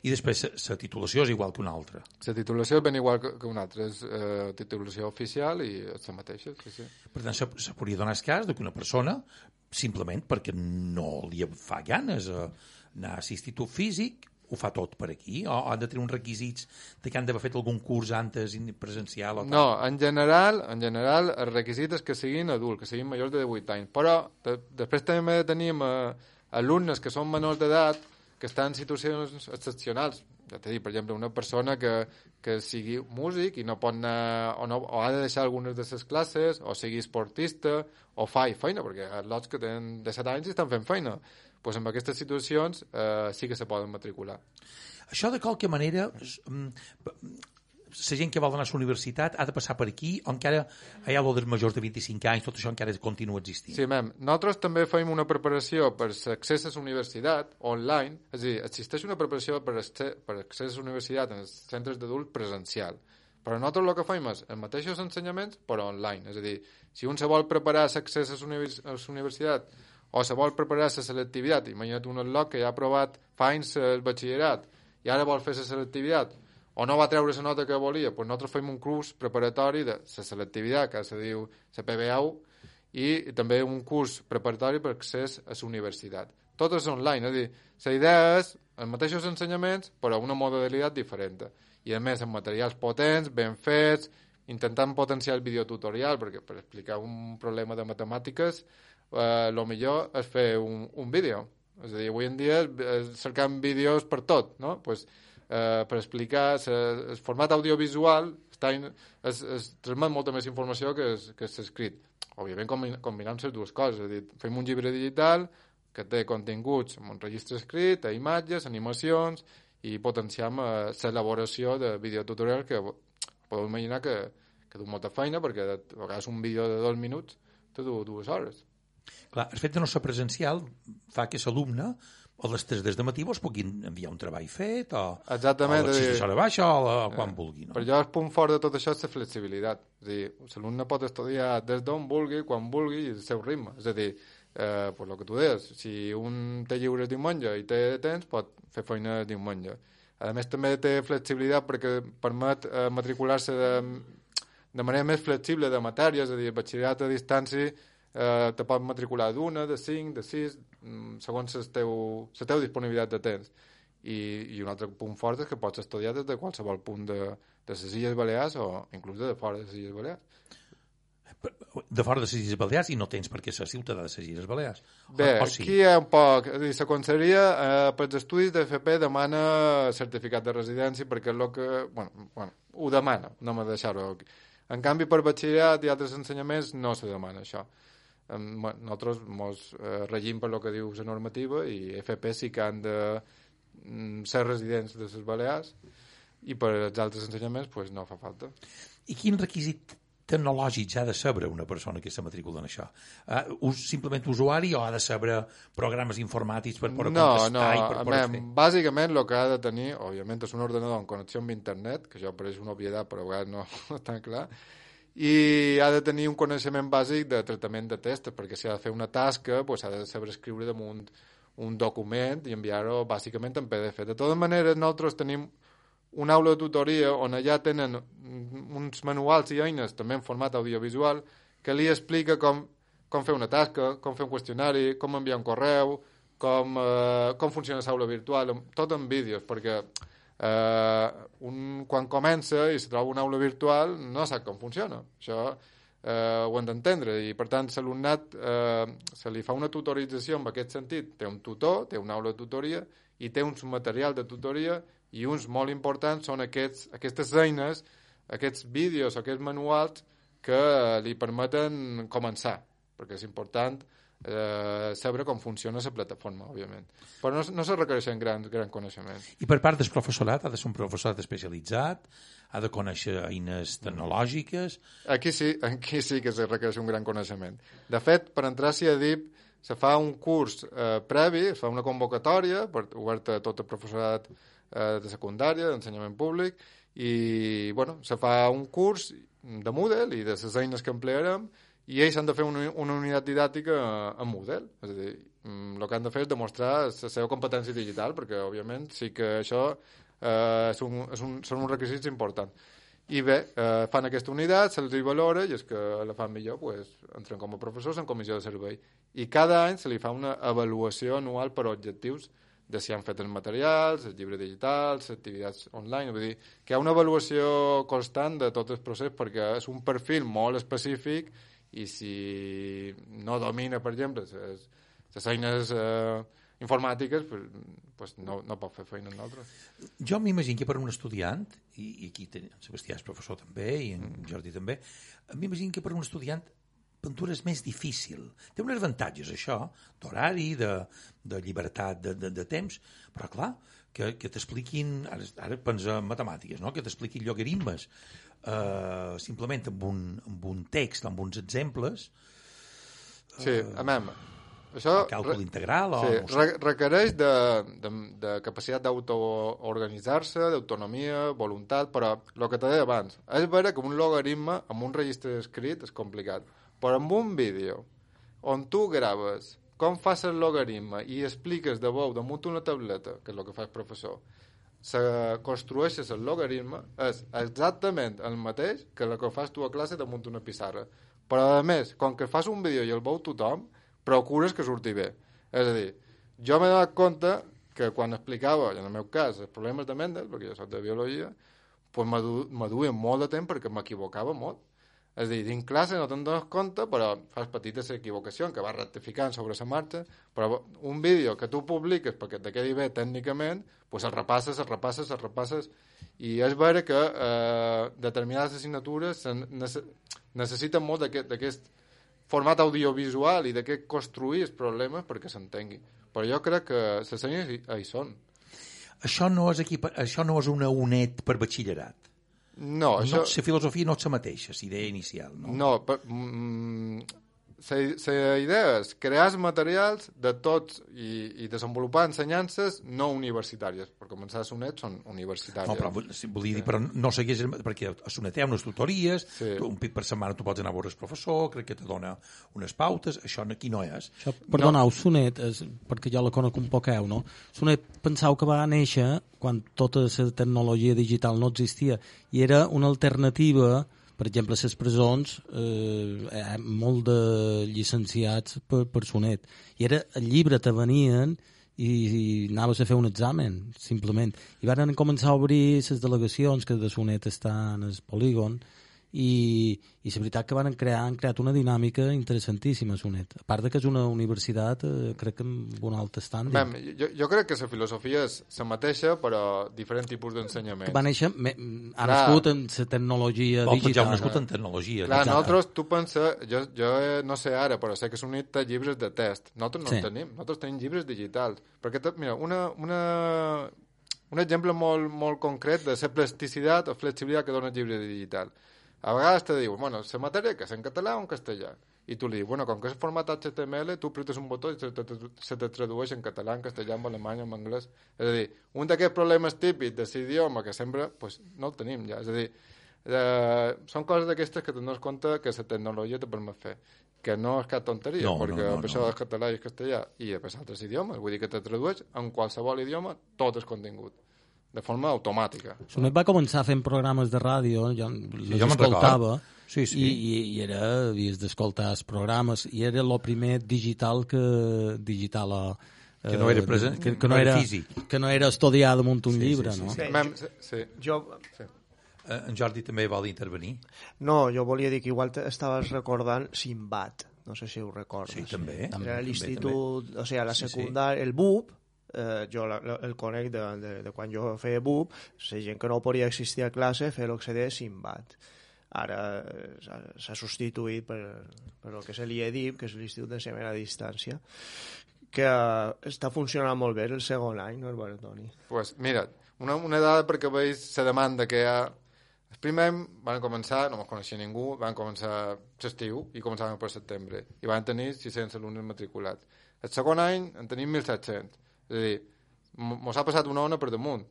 Speaker 1: I després la titulació és igual que una altra?
Speaker 3: La titulació és ben igual que una altra, és titulació oficial i és la mateixa. Sí.
Speaker 1: Per tant, se podria donar el cas que una persona, simplement perquè no li fa ganes anar a l'institut físic, ho fa tot per aquí? O han de tenir uns requisits de que han d'haver fet algun curs antes presencial? O tal?
Speaker 3: No, en general, el requisit és que siguin adults, que siguin majors de 18 anys. Però després també tenim alumnes que són menors d'edat que estan en situacions excepcionals. Ja t'he dit, per exemple, una persona que sigui músic i no pot anar, o ha de deixar algunes de les classes, o sigui esportista, o fa feina, perquè lots que tenen 17 anys estan fent feina. Doncs en aquestes situacions sí que se poden matricular.
Speaker 1: Això, de qualque manera, la gent que vol anar a la universitat ha de passar per aquí, o encara hi ha dels majors de 25 anys, tot això encara continua existint?
Speaker 3: Sí, nosaltres també fem una preparació per l'accés a la universitat online, és a dir, existeix una preparació per accés a la universitat en els centres d'adults presencial, però nosaltres el que fem és els mateixos ensenyaments però online, és a dir, si un se vol preparar l'accés a la universitat o se vol preparar la selectivitat, imagina't un alumne que ja ha provat fa anys el batxillerat i ara vol fer la selectivitat o no va treure la nota que volia, doncs nosaltres fem un curs preparatori de la selectivitat, que se diu la PBAU, i també un curs preparatori per accés a la universitat. Tot és online, és a dir, la idea és els mateixos ensenyaments, però una modalitat diferent. I a més, amb materials potents, ben fets, intentant potenciar el videotutorial, perquè per explicar un problema de matemàtiques, el millor és fer un vídeo. És a dir, avui en dia cercam vídeos per tot, no? Pues, per explicar el format audiovisual transmet molta més informació que l'escrit. Òbviament combinant les dues coses, és a dir, fem un llibre digital que té continguts amb un registre escrit, imatges, animacions, i potenciam l'elaboració de videotutorial que podeu imaginar que du molta feina, perquè a vegades un vídeo de 2 minuts té 2 hores.
Speaker 1: Clar, el fet de no ser presencial fa que l'alumne o les 3 des de matí vos puguin enviar un treball fet, o a les 6 hores baixa, o quan vulgui. No?
Speaker 3: Per jo el punt fort de tot això és la flexibilitat. És a dir, l'alumne pot estudiar des d'on vulgui, quan vulgui, i el seu ritme. És a dir, pues el que tu deies, si un té lliures diumenge i té temps, pot fer feina diumenge. A més, també té flexibilitat perquè permet matricular-se de manera més flexible de matèries, és a dir, el batxillerat a distància te pot matricular d'1, de 5, de 6, segons la teva disponibilitat de temps. I un altre punt fort és que pots estudiar des de qualsevol punt de les Illes Balears o inclús de fora de les Illes Balears.
Speaker 1: De fora de les Illes Balears i no tens per què ser ciutadà de les Illes Balears.
Speaker 3: Bé,
Speaker 1: sí?
Speaker 3: Aquí hi ha un poc... És a dir, la conselleria pels estudis d'FP demana certificat de residència perquè és el que... Bueno, ho demana, no m'ha de deixar-ho. En canvi, per batxillerat i altres ensenyaments no se demana això. Nosaltres ens regim per el que diu la normativa i FP sí que han de ser residents de les Balears i per als altres ensenyaments pues, no fa falta.
Speaker 1: I quin requisit tecnològics ha de saber una persona que se matricula en això? Simplement usuari o ha de saber programes informàtics per poder contestar i per poder fer?
Speaker 3: Bàsicament el que ha de tenir, òbviament, és un ordenador amb connexió amb internet, que això pareix una obvietat però a vegades no està clar, i ha de tenir un coneixement bàsic de tractament de text, perquè si ha de fer una tasca pues, ha de saber escriure damunt un document i enviar-ho bàsicament en PDF. De totes maneres, nosaltres tenim una aula de tutoria on allà tenen uns manuals i eines també en format audiovisual que li explica com fer una tasca, com fer un qüestionari, com enviar un correu, com funciona l'aula virtual, tot en vídeos, perquè quan comença i se troba una aula virtual no sap com funciona. Això ho hem d'entendre i per tant l'alumnat se li fa una tutorització en aquest sentit. Té un tutor, té una aula de tutoria i té un material de tutoria i uns molt importants són aquestes eines, aquests vídeos, aquests manuals que li permeten començar, perquè és important saber com funciona la plataforma, òbviament. Però no se requereixen gran coneixement.
Speaker 1: I per part del professorat, ha de ser un professorat especialitzat, ha de conèixer eines tecnològiques...
Speaker 3: Aquí sí que se requereix un gran coneixement. De fet, per entrar a CIADIP se fa un curs previ, es fa una convocatòria oberta a tot el professorat de secundària, d'ensenyament públic, i se fa un curs de Moodle i de les eines que emplearem i ells han de fer una unitat didàctica en Moodle. És a dir, el que han de fer és demostrar la seva competència digital, perquè, òbviament, sí que això són uns requisits importants. I bé, fan aquesta unitat, se'ls valora, i és que la fan millor, entren com a professors en comissió de servei. I cada any se li fa una avaluació anual per objectius de si han fet els materials, els llibres digitals, les activitats online. Vull dir que hi ha una avaluació constant de tot el procés perquè és un perfil molt específic i si no domina, per exemple, les eines informàtiques, pues no pot fer feina en l'altre.
Speaker 1: Jo m'imagino que per un estudiant, i aquí en Sebastià és professor també, i en Jordi també, m'imagino que per un estudiant pintura és més difícil. Té uns avantatges, això, d'horari, de llibertat de temps, però, clar, que t'expliquin, ara pensa en matemàtiques, no? Que t'expliquin logaritmes, simplement amb un text, amb uns exemples.
Speaker 3: Sí, això...
Speaker 1: Càlcul integral,
Speaker 3: requereix de capacitat d'autoorganitzar-se, d'autonomia, voluntat, però el que t'he dit abans, és vera que un logaritme amb un registre escrit és complicat. Però amb un vídeo on tu graves com fas el logaritme i expliques de veu damunt una tableta, que és el que fa el professor, construeixes el logaritme, és exactament el mateix que el que fas tu a classe damunt una pissarra. Però, a més, com que fas un vídeo i el veu tothom, procures que surti bé. És a dir, jo m'he donat compte que quan explicava, en el meu cas, els problemes de Mendel, perquè jo soc de biologia, pues m'aduien molt de temps perquè m'equivocava molt. És a dir, dins classe no te'n dones compte, però fas petites equivocacions que vas rectificant sobre la marxa, però un vídeo que tu publiques perquè te quedi bé tècnicament, pues el repasses, i és vera que determinades assignatures necessiten molt d'aquest format audiovisual i d'aquest construir els problemes perquè s'entengui. Però jo crec que les eines hi són.
Speaker 1: Això no és una UNED per batxillerat.
Speaker 3: No,
Speaker 1: la filosofia no és la mateixa, la idea inicial.
Speaker 3: No, la idea és crear materials de tots i desenvolupar ensenyances no universitàries. Per començar, a Sonet són universitàries.
Speaker 1: No, però volia dir, però no segueix, perquè a Sonet hi ha unes tutories, un pit per setmana tu pots anar a veure el professor, crec que te dona unes pautes, això aquí no és.
Speaker 2: Això, perdoneu, Sonet, perquè jo la conec un poqueu, no? Sonet pensau que va néixer quan tota la tecnologia digital no existia i era una alternativa. Per exemple, a les presons hi ha molt de llicenciats per Sonet. I era el llibre te venien i anaves a fer un examen, simplement. I van començar a obrir les delegacions que de Sonet estan al polígon i la veritat que han creat una dinàmica interessantíssima a Sonet. A part de que és una universitat, crec que amb un alt estàndard.
Speaker 3: Jo crec que la filosofia és la mateixa, però diferents tipus d'ensenyament.
Speaker 2: Va néixer, ha nascut en la tecnologia digital.
Speaker 1: Ja ha nascut en tecnologia.
Speaker 3: Clar, nosaltres, tu pensa, jo no sé ara, però sé que Sonet té llibres de test. Nosaltres no en tenim. Nosaltres tenim llibres digitals. Perquè, mira, un exemple molt concret de la plasticitat o flexibilitat que dona el llibre digital. A vegades te diu, bueno, la matèria que és en català o en castellà? I tu li dius, bueno, com que és format HTML, tu apretes un botó i se te tradueix en català, en castellà, en alemany, en anglès. És a dir, un d'aquests problemes típics de l'idioma que sempre pues, no el tenim ja. És a dir, són coses d'aquestes que te'n dones compte que la tecnologia te permet fer. Que no és cap tonteria, perquè a pesar del català i el castellà i a pesar d'altres idiomes, vull dir que te tradueix en qualsevol idioma tot el contingut. De forma automàtica.
Speaker 2: Sonet va començar fent programes de ràdio, jo escoltava, i havies d'escoltar els programes, i era el primer digital que
Speaker 1: no era present,
Speaker 2: que no era físic. Que no era estudiar damunt un llibre, no?
Speaker 1: En Jordi també vol intervenir.
Speaker 4: No, jo volia dir que igual estaves recordant Sinbad, no sé si ho recordes.
Speaker 1: Sí, també.
Speaker 4: Era l'institut, o sigui, a la secundària, el BUP, jo el conec de quan jo feia BUP, la gent que no podia existir a classe feia el que se deia Sinbad. Ara s'ha substituït per el que se li ha dit, que és l'Institut d'Ensenyament a Distància, que està funcionant molt bé el segon any, no és bueno, Toni?
Speaker 3: Pues mira, una dada perquè veus la demanda que hi ha. El primer any van començar, no me'n coneixia ningú, van començar l'estiu i començaven per setembre i van tenir 600 alumnes matriculats. El segon any en tenim 1.700. És a dir, mos ha passat una ona per damunt,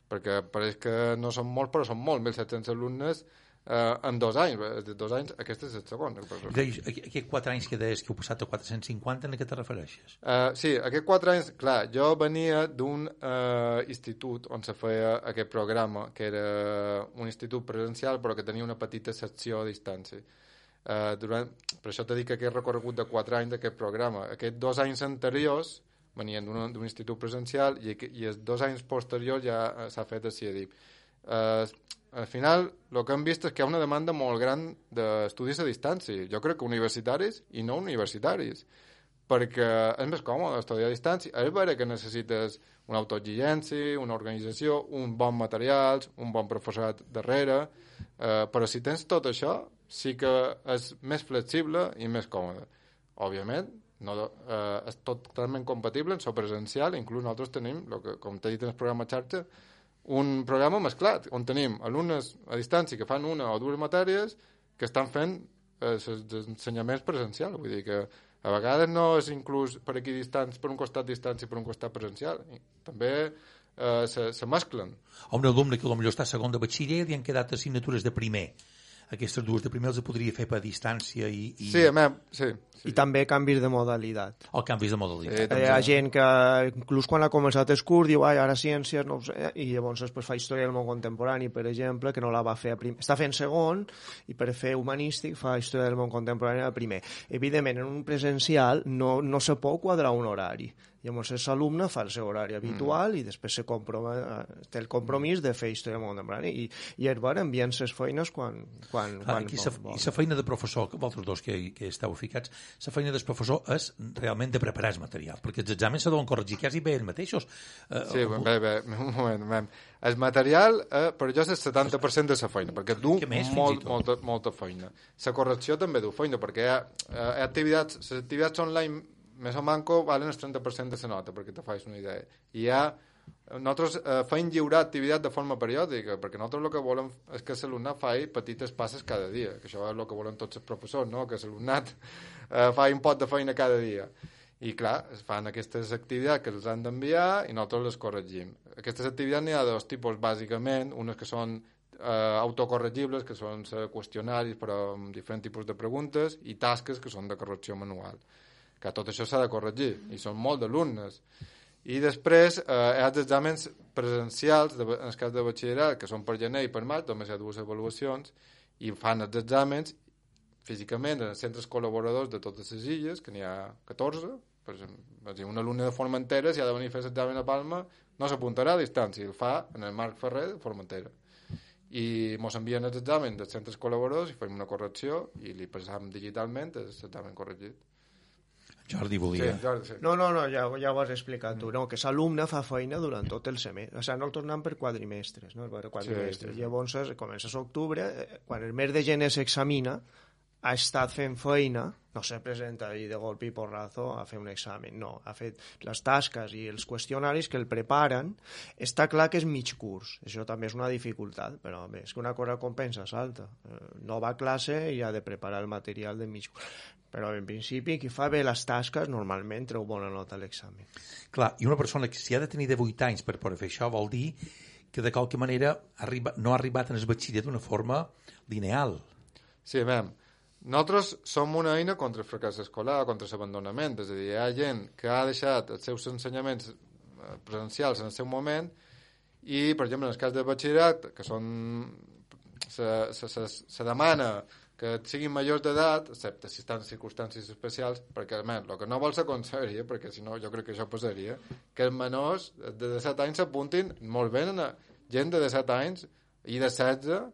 Speaker 3: perquè pareix que no són molts, però són molts, 1.700 alumnes en 2 anys. De 2 anys, aquest és el segon.
Speaker 1: Aquests 4 anys que deies que heu passat a 450, en què te refereixes?
Speaker 3: Sí, aquests 4 anys, clar, jo venia d'un institut on se feia aquest programa, que era un institut presencial, però que tenia una petita secció a distància. Per això t'he dit que aquest recorregut de 4 anys d'aquest programa, aquests 2 anys anteriors venien d'un institut presencial i els 2 anys posteriors ja s'ha fet a CIEDIP. Al final, el que hem vist és que hi ha una demanda molt gran d'estudis a distància. Jo crec que universitaris i no universitaris, perquè és més còmode estudiar a distància. És vera que necessites una autoexigència, una organització, un bon materials, un bon professorat darrere, però si tens tot això, sí que és més flexible i més còmode. Òbviament, és totalment compatible en so presencial, inclús nosaltres tenim, com t'he dit en el programa xarxa, un programa mesclat, on tenim alumnes a distància que fan una o 2 matèries que estan fent els ensenyaments presencials. Vull dir que a vegades no és inclús per aquí distants, per un costat distància i per un costat presencial. També se mesclen.
Speaker 1: Un alumne que potser està a segon de batxiller i han quedat assignatures de primer. Aquestes 2 de primer els podria fer per distància i...
Speaker 3: Sí.
Speaker 4: I també canvis de modalitat.
Speaker 1: O canvis de modalitat.
Speaker 4: Hi ha gent que, inclús quan ha començat el curs, diu, ara ciències, no ho sé, i llavors després fa història del món contemporani, per exemple, que no la va fer a primer. Està fent segon, i per fer humanístic fa història del món contemporani a primer. Evidentment, en un presencial no se pot quadrar un horari. Llavors, l'alumne fa el seu horari habitual i després té el compromís de fer història del món contemporani. I és bo, envien les feines quan
Speaker 1: I la feina de professor, que vosaltres dos que esteu ficats, la feina del professor és realment de preparar el material, perquè els exàmens se deuen corregir quasi bé ells mateixos.
Speaker 3: Sí, bé, un moment. El material, per jo, és el 70% de la feina, perquè du molta feina. La correcció també du feina, perquè hi ha activitats online més o manco valen el 30% de la nota, perquè te facis una idea. I hi ha nosaltres feim lliurar activitat de forma periòdica, perquè nosaltres el que volem és que l'alumnat faci petites passes cada dia, que això és el que volen tots els professors, no? Que l'alumnat faci un pot de feina cada dia. I clar, es fan aquestes activitats que els han d'enviar i nosaltres les corregim. Aquestes activitats n'hi ha dos tipus, bàsicament, unes que són autocorregibles, que són qüestionaris però amb diferents tipus de preguntes, i tasques que són de correcció manual. Que tot això s'ha de corregir, i són molt d'alumnes. I després hi ha els exàmens presencials, en el cas de batxillerat, que són per gener i per maig, només hi ha 2 avaluacions, i fan els exàmens físicament en els centres col·laboradors de totes les illes, que n'hi ha 14, per exemple, un alumne de Formentera, si ha de venir a fer l'examen a Palma, no s'apuntarà a distància, el fa en el Marc Ferrer de Formentera. I ens envien els exàmens dels centres col·laboradors i fem una correcció i li passam digitalment l'examen corregit.
Speaker 1: Jordi volia...
Speaker 3: Sí, Jordi, sí.
Speaker 4: No, ja ho has explicat tu. No, que l'alumne fa feina durant tot el semestre. O sigui, no el tornem per quadrimestres, no? Per quadrimestres. Sí. Llavors, comença a l'octubre, quan el mes de gener s'examina, ha estat fent feina, no se presenta ahí de golpe i porrazo a fer un examen, no, ha fet les tasques i els qüestionaris que el preparen. Està clar que és mig curs, això també és una dificultat, però bé, és que una cosa compensa l'altra. No va a classe i ha de preparar el material de mig curs. Però en principi qui fa bé les tasques normalment treu bona nota a l'examen.
Speaker 1: Clar, i una persona que si ha de tenir 18 anys per poder fer això vol dir que de qualque manera no ha arribat en el batxiller d'una forma lineal.
Speaker 3: Sí, veiem. Nosaltres som una eina contra el fracàs escolar, contra l'abandonament, és a dir, hi ha gent que ha deixat els seus ensenyaments presencials en el seu moment i, per exemple, en el cas de batxillerat, que són se demana que siguin majors d'edat, excepte si estan en circumstàncies especials, perquè el que no vol s'aconseguiria, perquè si no jo crec que això passaria, que els menors de 17 anys s'apuntin molt bé a gent de 17 anys i de 16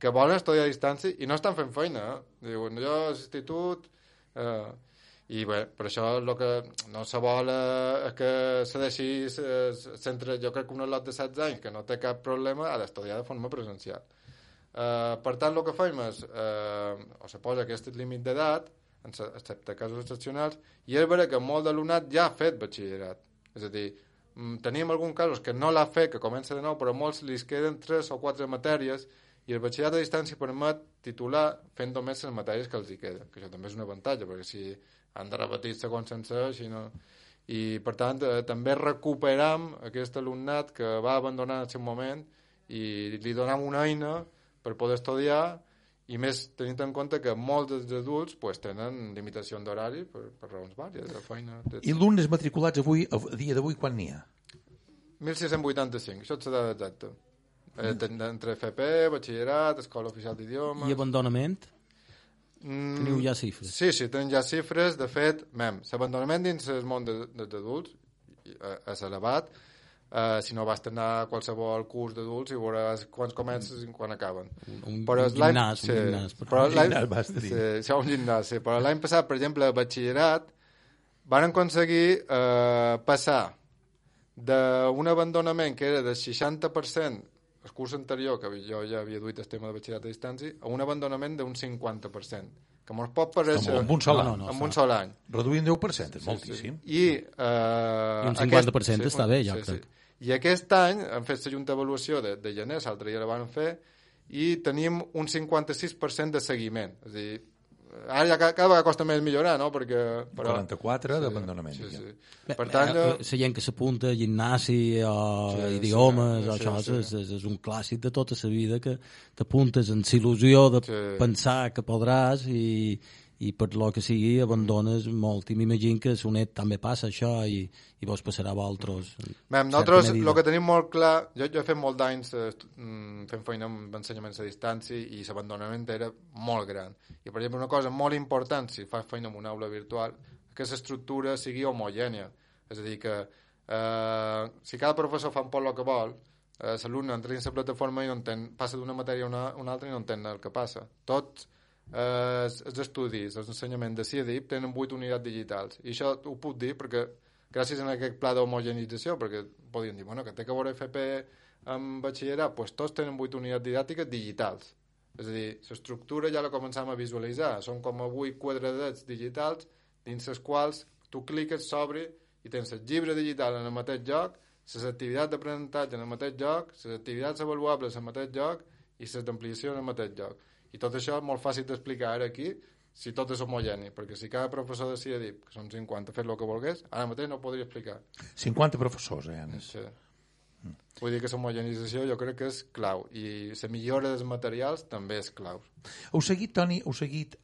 Speaker 3: que volen estudiar a distància i no estan fent feina. Diuen, jo a l'institut... I bé, per això el que no se vol és que se deixi centre, jo crec que un lot de 16 anys que no té cap problema ha d'estudiar de forma presencial. Per tant, el que fem és o se posa aquest límit d'edat, excepte casos excepcionals, i és vera que molt d'alumnat ja ha fet batxillerat. És a dir, tenim alguns casos que no l'ha fet, que comença de nou, però molts li queden 3 o 4 matèries i el batxillerat a distància permet titular fent només les matèries que els hi queden, que això també és un avantatge, perquè si han de repetir segons sencer, si no... I, per tant, també recuperam aquest alumnat que va abandonar en el seu moment i li donem una eina per poder estudiar, i més tenint en compte que molts dels adults tenen limitació d'horari per raons vàries, de feina...
Speaker 1: I alumnes matriculats avui, a dia d'avui, quan n'hi ha?
Speaker 3: 1.685, això és la dada exacta. Entre FP, batxillerat, escola oficial d'idiomes...
Speaker 2: I abandonament? Teniu ja xifres?
Speaker 3: Sí, tenim ja xifres. De fet, l'abandonament dins el món dels adults és elevat. Si no vas anar a qualsevol curs d'adults i veuràs quan comences i quan acaben.
Speaker 2: Un gimnàs.
Speaker 3: Un gimnàs, sí. Però l'any passat, per exemple, a batxillerat, van aconseguir passar d'un abandonament que era del 60% el curs anterior, que jo ja havia duit el tema de batxillerat a distància, a un abandonament d'un 50%, que ens pot parèixer...
Speaker 1: Amb un sol any.
Speaker 3: Amb un sol any.
Speaker 1: Reduint 10%, és moltíssim.
Speaker 3: I
Speaker 2: un 50% està bé, jo crec.
Speaker 3: I aquest any han fet la junta d'avaluació de gener, l'altre dia la van fer, i tenim un 56% de seguiment. És a dir, ara ja cada vegada costa més millorar, no? Perquè,
Speaker 1: 44 d'abandonament.
Speaker 3: Sí. Per tant,
Speaker 2: la gent que s'apunta a gimnasi o idiomes, això és un clàssic de tota la vida, que t'apuntes amb l'il·lusió de pensar que podràs i per lo que sigui abandones molt. I m'imagino que a Sonet també passa això i vos passarà a vosaltres.
Speaker 3: Nosaltres el que tenim molt clar, jo he fet molt d'anys fent feina amb ensenyaments a distància i l'abandonament era molt gran. I, per exemple, una cosa molt important si fas feina en una aula virtual és que l'estructura sigui homogènia. És a dir, que si cada professor fa un poc el que vol, l'alumne entra dins la plataforma i passa d'una matèria a una altra i no entén el que passa. Tots els estudis, els ensenyaments de CIDIP tenen 8 unitats digitals. I això ho puc dir perquè gràcies a aquest pla d'homogenització, perquè podien dir, bueno, que té que veure FP amb batxillerat, doncs tots tenen 8 unitats didàctiques digitals. És a dir, l'estructura ja la començam a visualitzar. Són com a 8 quadradets digitals dins els quals tu cliques, s'obre i tens el llibre digital en el mateix lloc les activitats d'aprenentatge en el mateix lloc, les activitats avaluables en el mateix lloc i les d'ampliació en el mateix lloc. I tot això és molt fàcil d'explicar ara aquí, si tot és homogeni, perquè si cada professor decidia dir que són 50, fer el que volgués, ara mateix no ho podria explicar.
Speaker 1: 50 professors, Anes.
Speaker 3: Sí. Vull dir que l'homogenització jo crec que és clau i la millora dels materials també és clau.
Speaker 1: Heu seguit, Toni,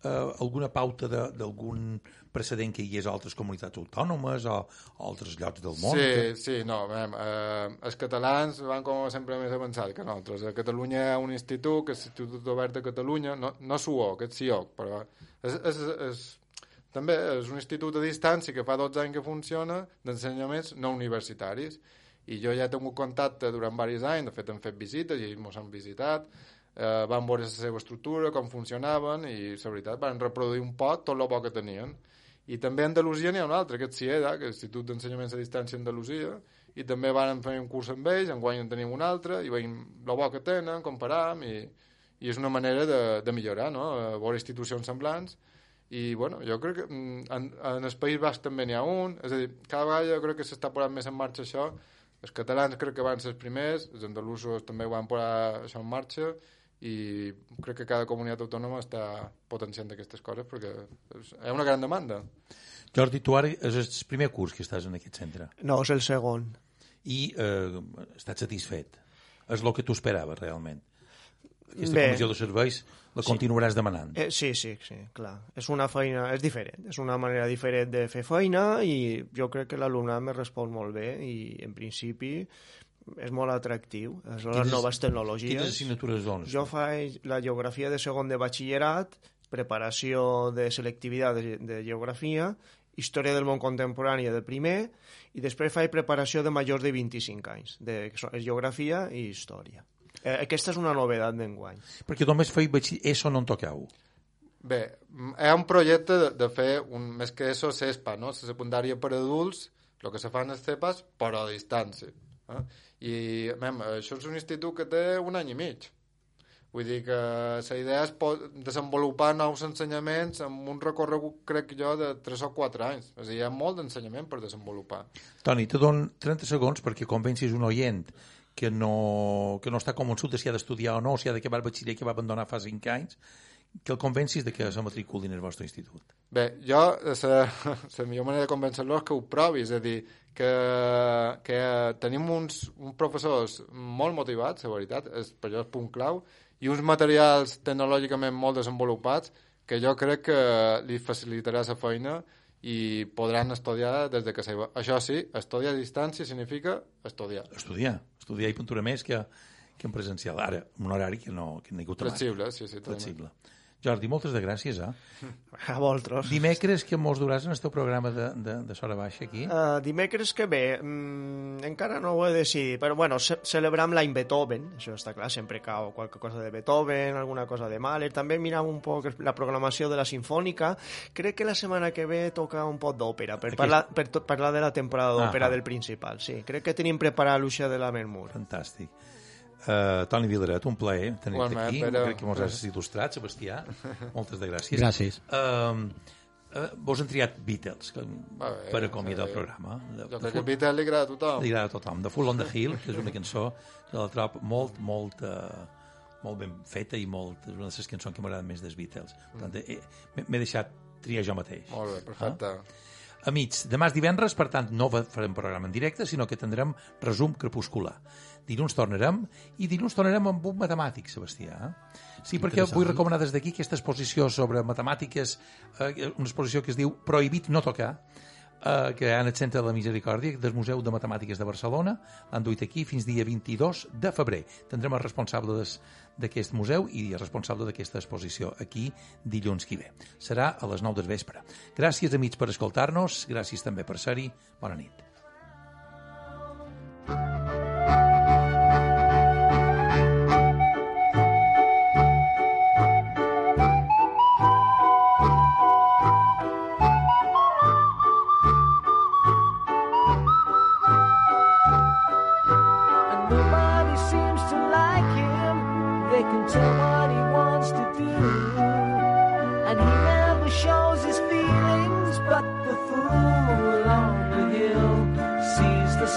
Speaker 1: alguna pauta d'algun precedent que hi hagués a altres comunitats autònomes o altres llocs del món?
Speaker 3: Sí, no, els catalans van com sempre més avançats que nosaltres. A Catalunya hi ha un institut, que és l'Institut Obert de Catalunya, no SUOC, és CIOC, però també és un institut a distància que fa 12 anys que funciona d'ensenyaments no universitaris. I jo ja he tingut contacte durant diversos anys, de fet hem fet visites i ens han visitat, van veure la seva estructura, com funcionaven, i la veritat van reproduir un poc tot el bo que tenien. I també a Andalusia n'hi ha un altre, que és CIEDA, que és l'Institut d'Ensenyaments a Distància Andalusia, i també van fer un curs amb ells, enguany en tenim un altre, i veiem el bo que tenen, comparàvem, i és una manera de millorar, no? Veure institucions semblants. I bueno, jo crec que en el País Basc també n'hi ha un, és a dir, cada vegada jo crec que s'està posant més en marxa això. Els catalans crec que van ser els primers, els andalusos també van posar això en marxa i crec que cada comunitat autònoma està potenciant aquestes coses perquè hi ha una gran demanda.
Speaker 1: Jordi, tu ara és el primer curs que estàs en aquest centre.
Speaker 4: No, és el segon.
Speaker 1: I estàs satisfet? És el que tu esperaves realment? Aquesta comissió de serveis la continuaràs demanant?
Speaker 4: Sí, clar. És una feina, és diferent, és una manera diferent de fer feina i jo crec que l'alumnat me respon molt bé i en principi és molt atractiu. Les noves tecnologies.
Speaker 1: Quines assignatures dones?
Speaker 4: Jo faig la geografia de segon de batxillerat, preparació de selectivitat de geografia, història del món contemporani de primer i després faig preparació de majors de 25 anys, de geografia i història. Aquesta és una novedat d'enguany.
Speaker 1: Perquè només feia ESO no en toqueu?
Speaker 3: Bé, hi ha un projecte de fer, més que ESO, CESPA, no? La secundària per adults, el que se fa en els CEPAs, però a distància. I, això és un institut que té 1 any i mig. Vull dir que la idea és desenvolupar nous ensenyaments amb un recorregut, crec jo, de 3 o 4 anys. És a dir, hi ha molt d'ensenyament per desenvolupar.
Speaker 1: Toni, te dono 30 segons perquè convencis un oient que no està convençut de si ha d'estudiar o no, si ha d'acabar el batxiller que va abandonar fa 5 anys, que el convencis de que se matriculin al vostre institut. Bé,
Speaker 3: jo, la millor manera de convèncer-lo és que ho provi, és a dir, que tenim uns professors molt motivats, la veritat, per això és punt clau, i uns materials tecnològicament molt desenvolupats que jo crec que li facilitarà la feina i podran estudiar des de casa. Això sí, estudiar a distància significa estudiar.
Speaker 1: Estudiar i pintura més que en presencial. Ara, un horari que no hi ha hagut mai.
Speaker 3: Flexible, sí.
Speaker 1: Flexible. Jordi, moltes de gràcies,
Speaker 4: A vosaltres.
Speaker 1: Dimecres, que mos duràs en el teu programa de Sora Baixa aquí?
Speaker 4: Dimecres que ve, encara no ho he decidit, però bueno, celebram l'any Beethoven, això està clar, sempre cau qualque cosa de Beethoven, alguna cosa de Mahler, també miram un poc la programació de la Sinfònica, crec que la setmana que ve toca un poc d'òpera, per parlar de la temporada d'òpera del principal, sí, crec que tenim preparat l'Uixa de la Mermur.
Speaker 1: Fantàstic. Toni Vilaret, un plaer tenir-te aquí. Crec que mos has il·lustrat, Sebastià. Moltes de gràcies.
Speaker 2: Gràcies.
Speaker 1: Vos han triat Beatles per acomiadar el programa.
Speaker 3: Jo crec que Beatles li agrada a tothom.
Speaker 1: Li agrada a tothom. The Fool on the Hill, que és una cançó que la trobo molt ben feta i és una de les cançons que m'agraden més dels Beatles. Per tant, m'he deixat triar jo mateix.
Speaker 3: Molt bé, perfecte.
Speaker 1: Amics, demà és divendres, per tant no farem programa en directe, sinó que tindrem resum crepuscular. Dilluns tornarem, i dilluns tornarem amb un matemàtic, Sebastià. Sí, perquè vull recomanar des d'aquí aquesta exposició sobre matemàtiques, una exposició que es diu Prohibit no tocar, que hi ha en el Centre de la Misericòrdia del Museu de Matemàtiques de Barcelona. L'han duit aquí fins dia 22 de febrer. Tindrem el responsable d'aquest museu i el responsable d'aquesta exposició aquí dilluns que ve. Serà a les 9 del vespre. Gràcies, amics, per escoltar-nos. Gràcies també per ser-hi. Bona nit.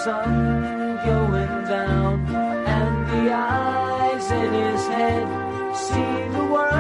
Speaker 5: Sun going down, and the eyes in his head see the world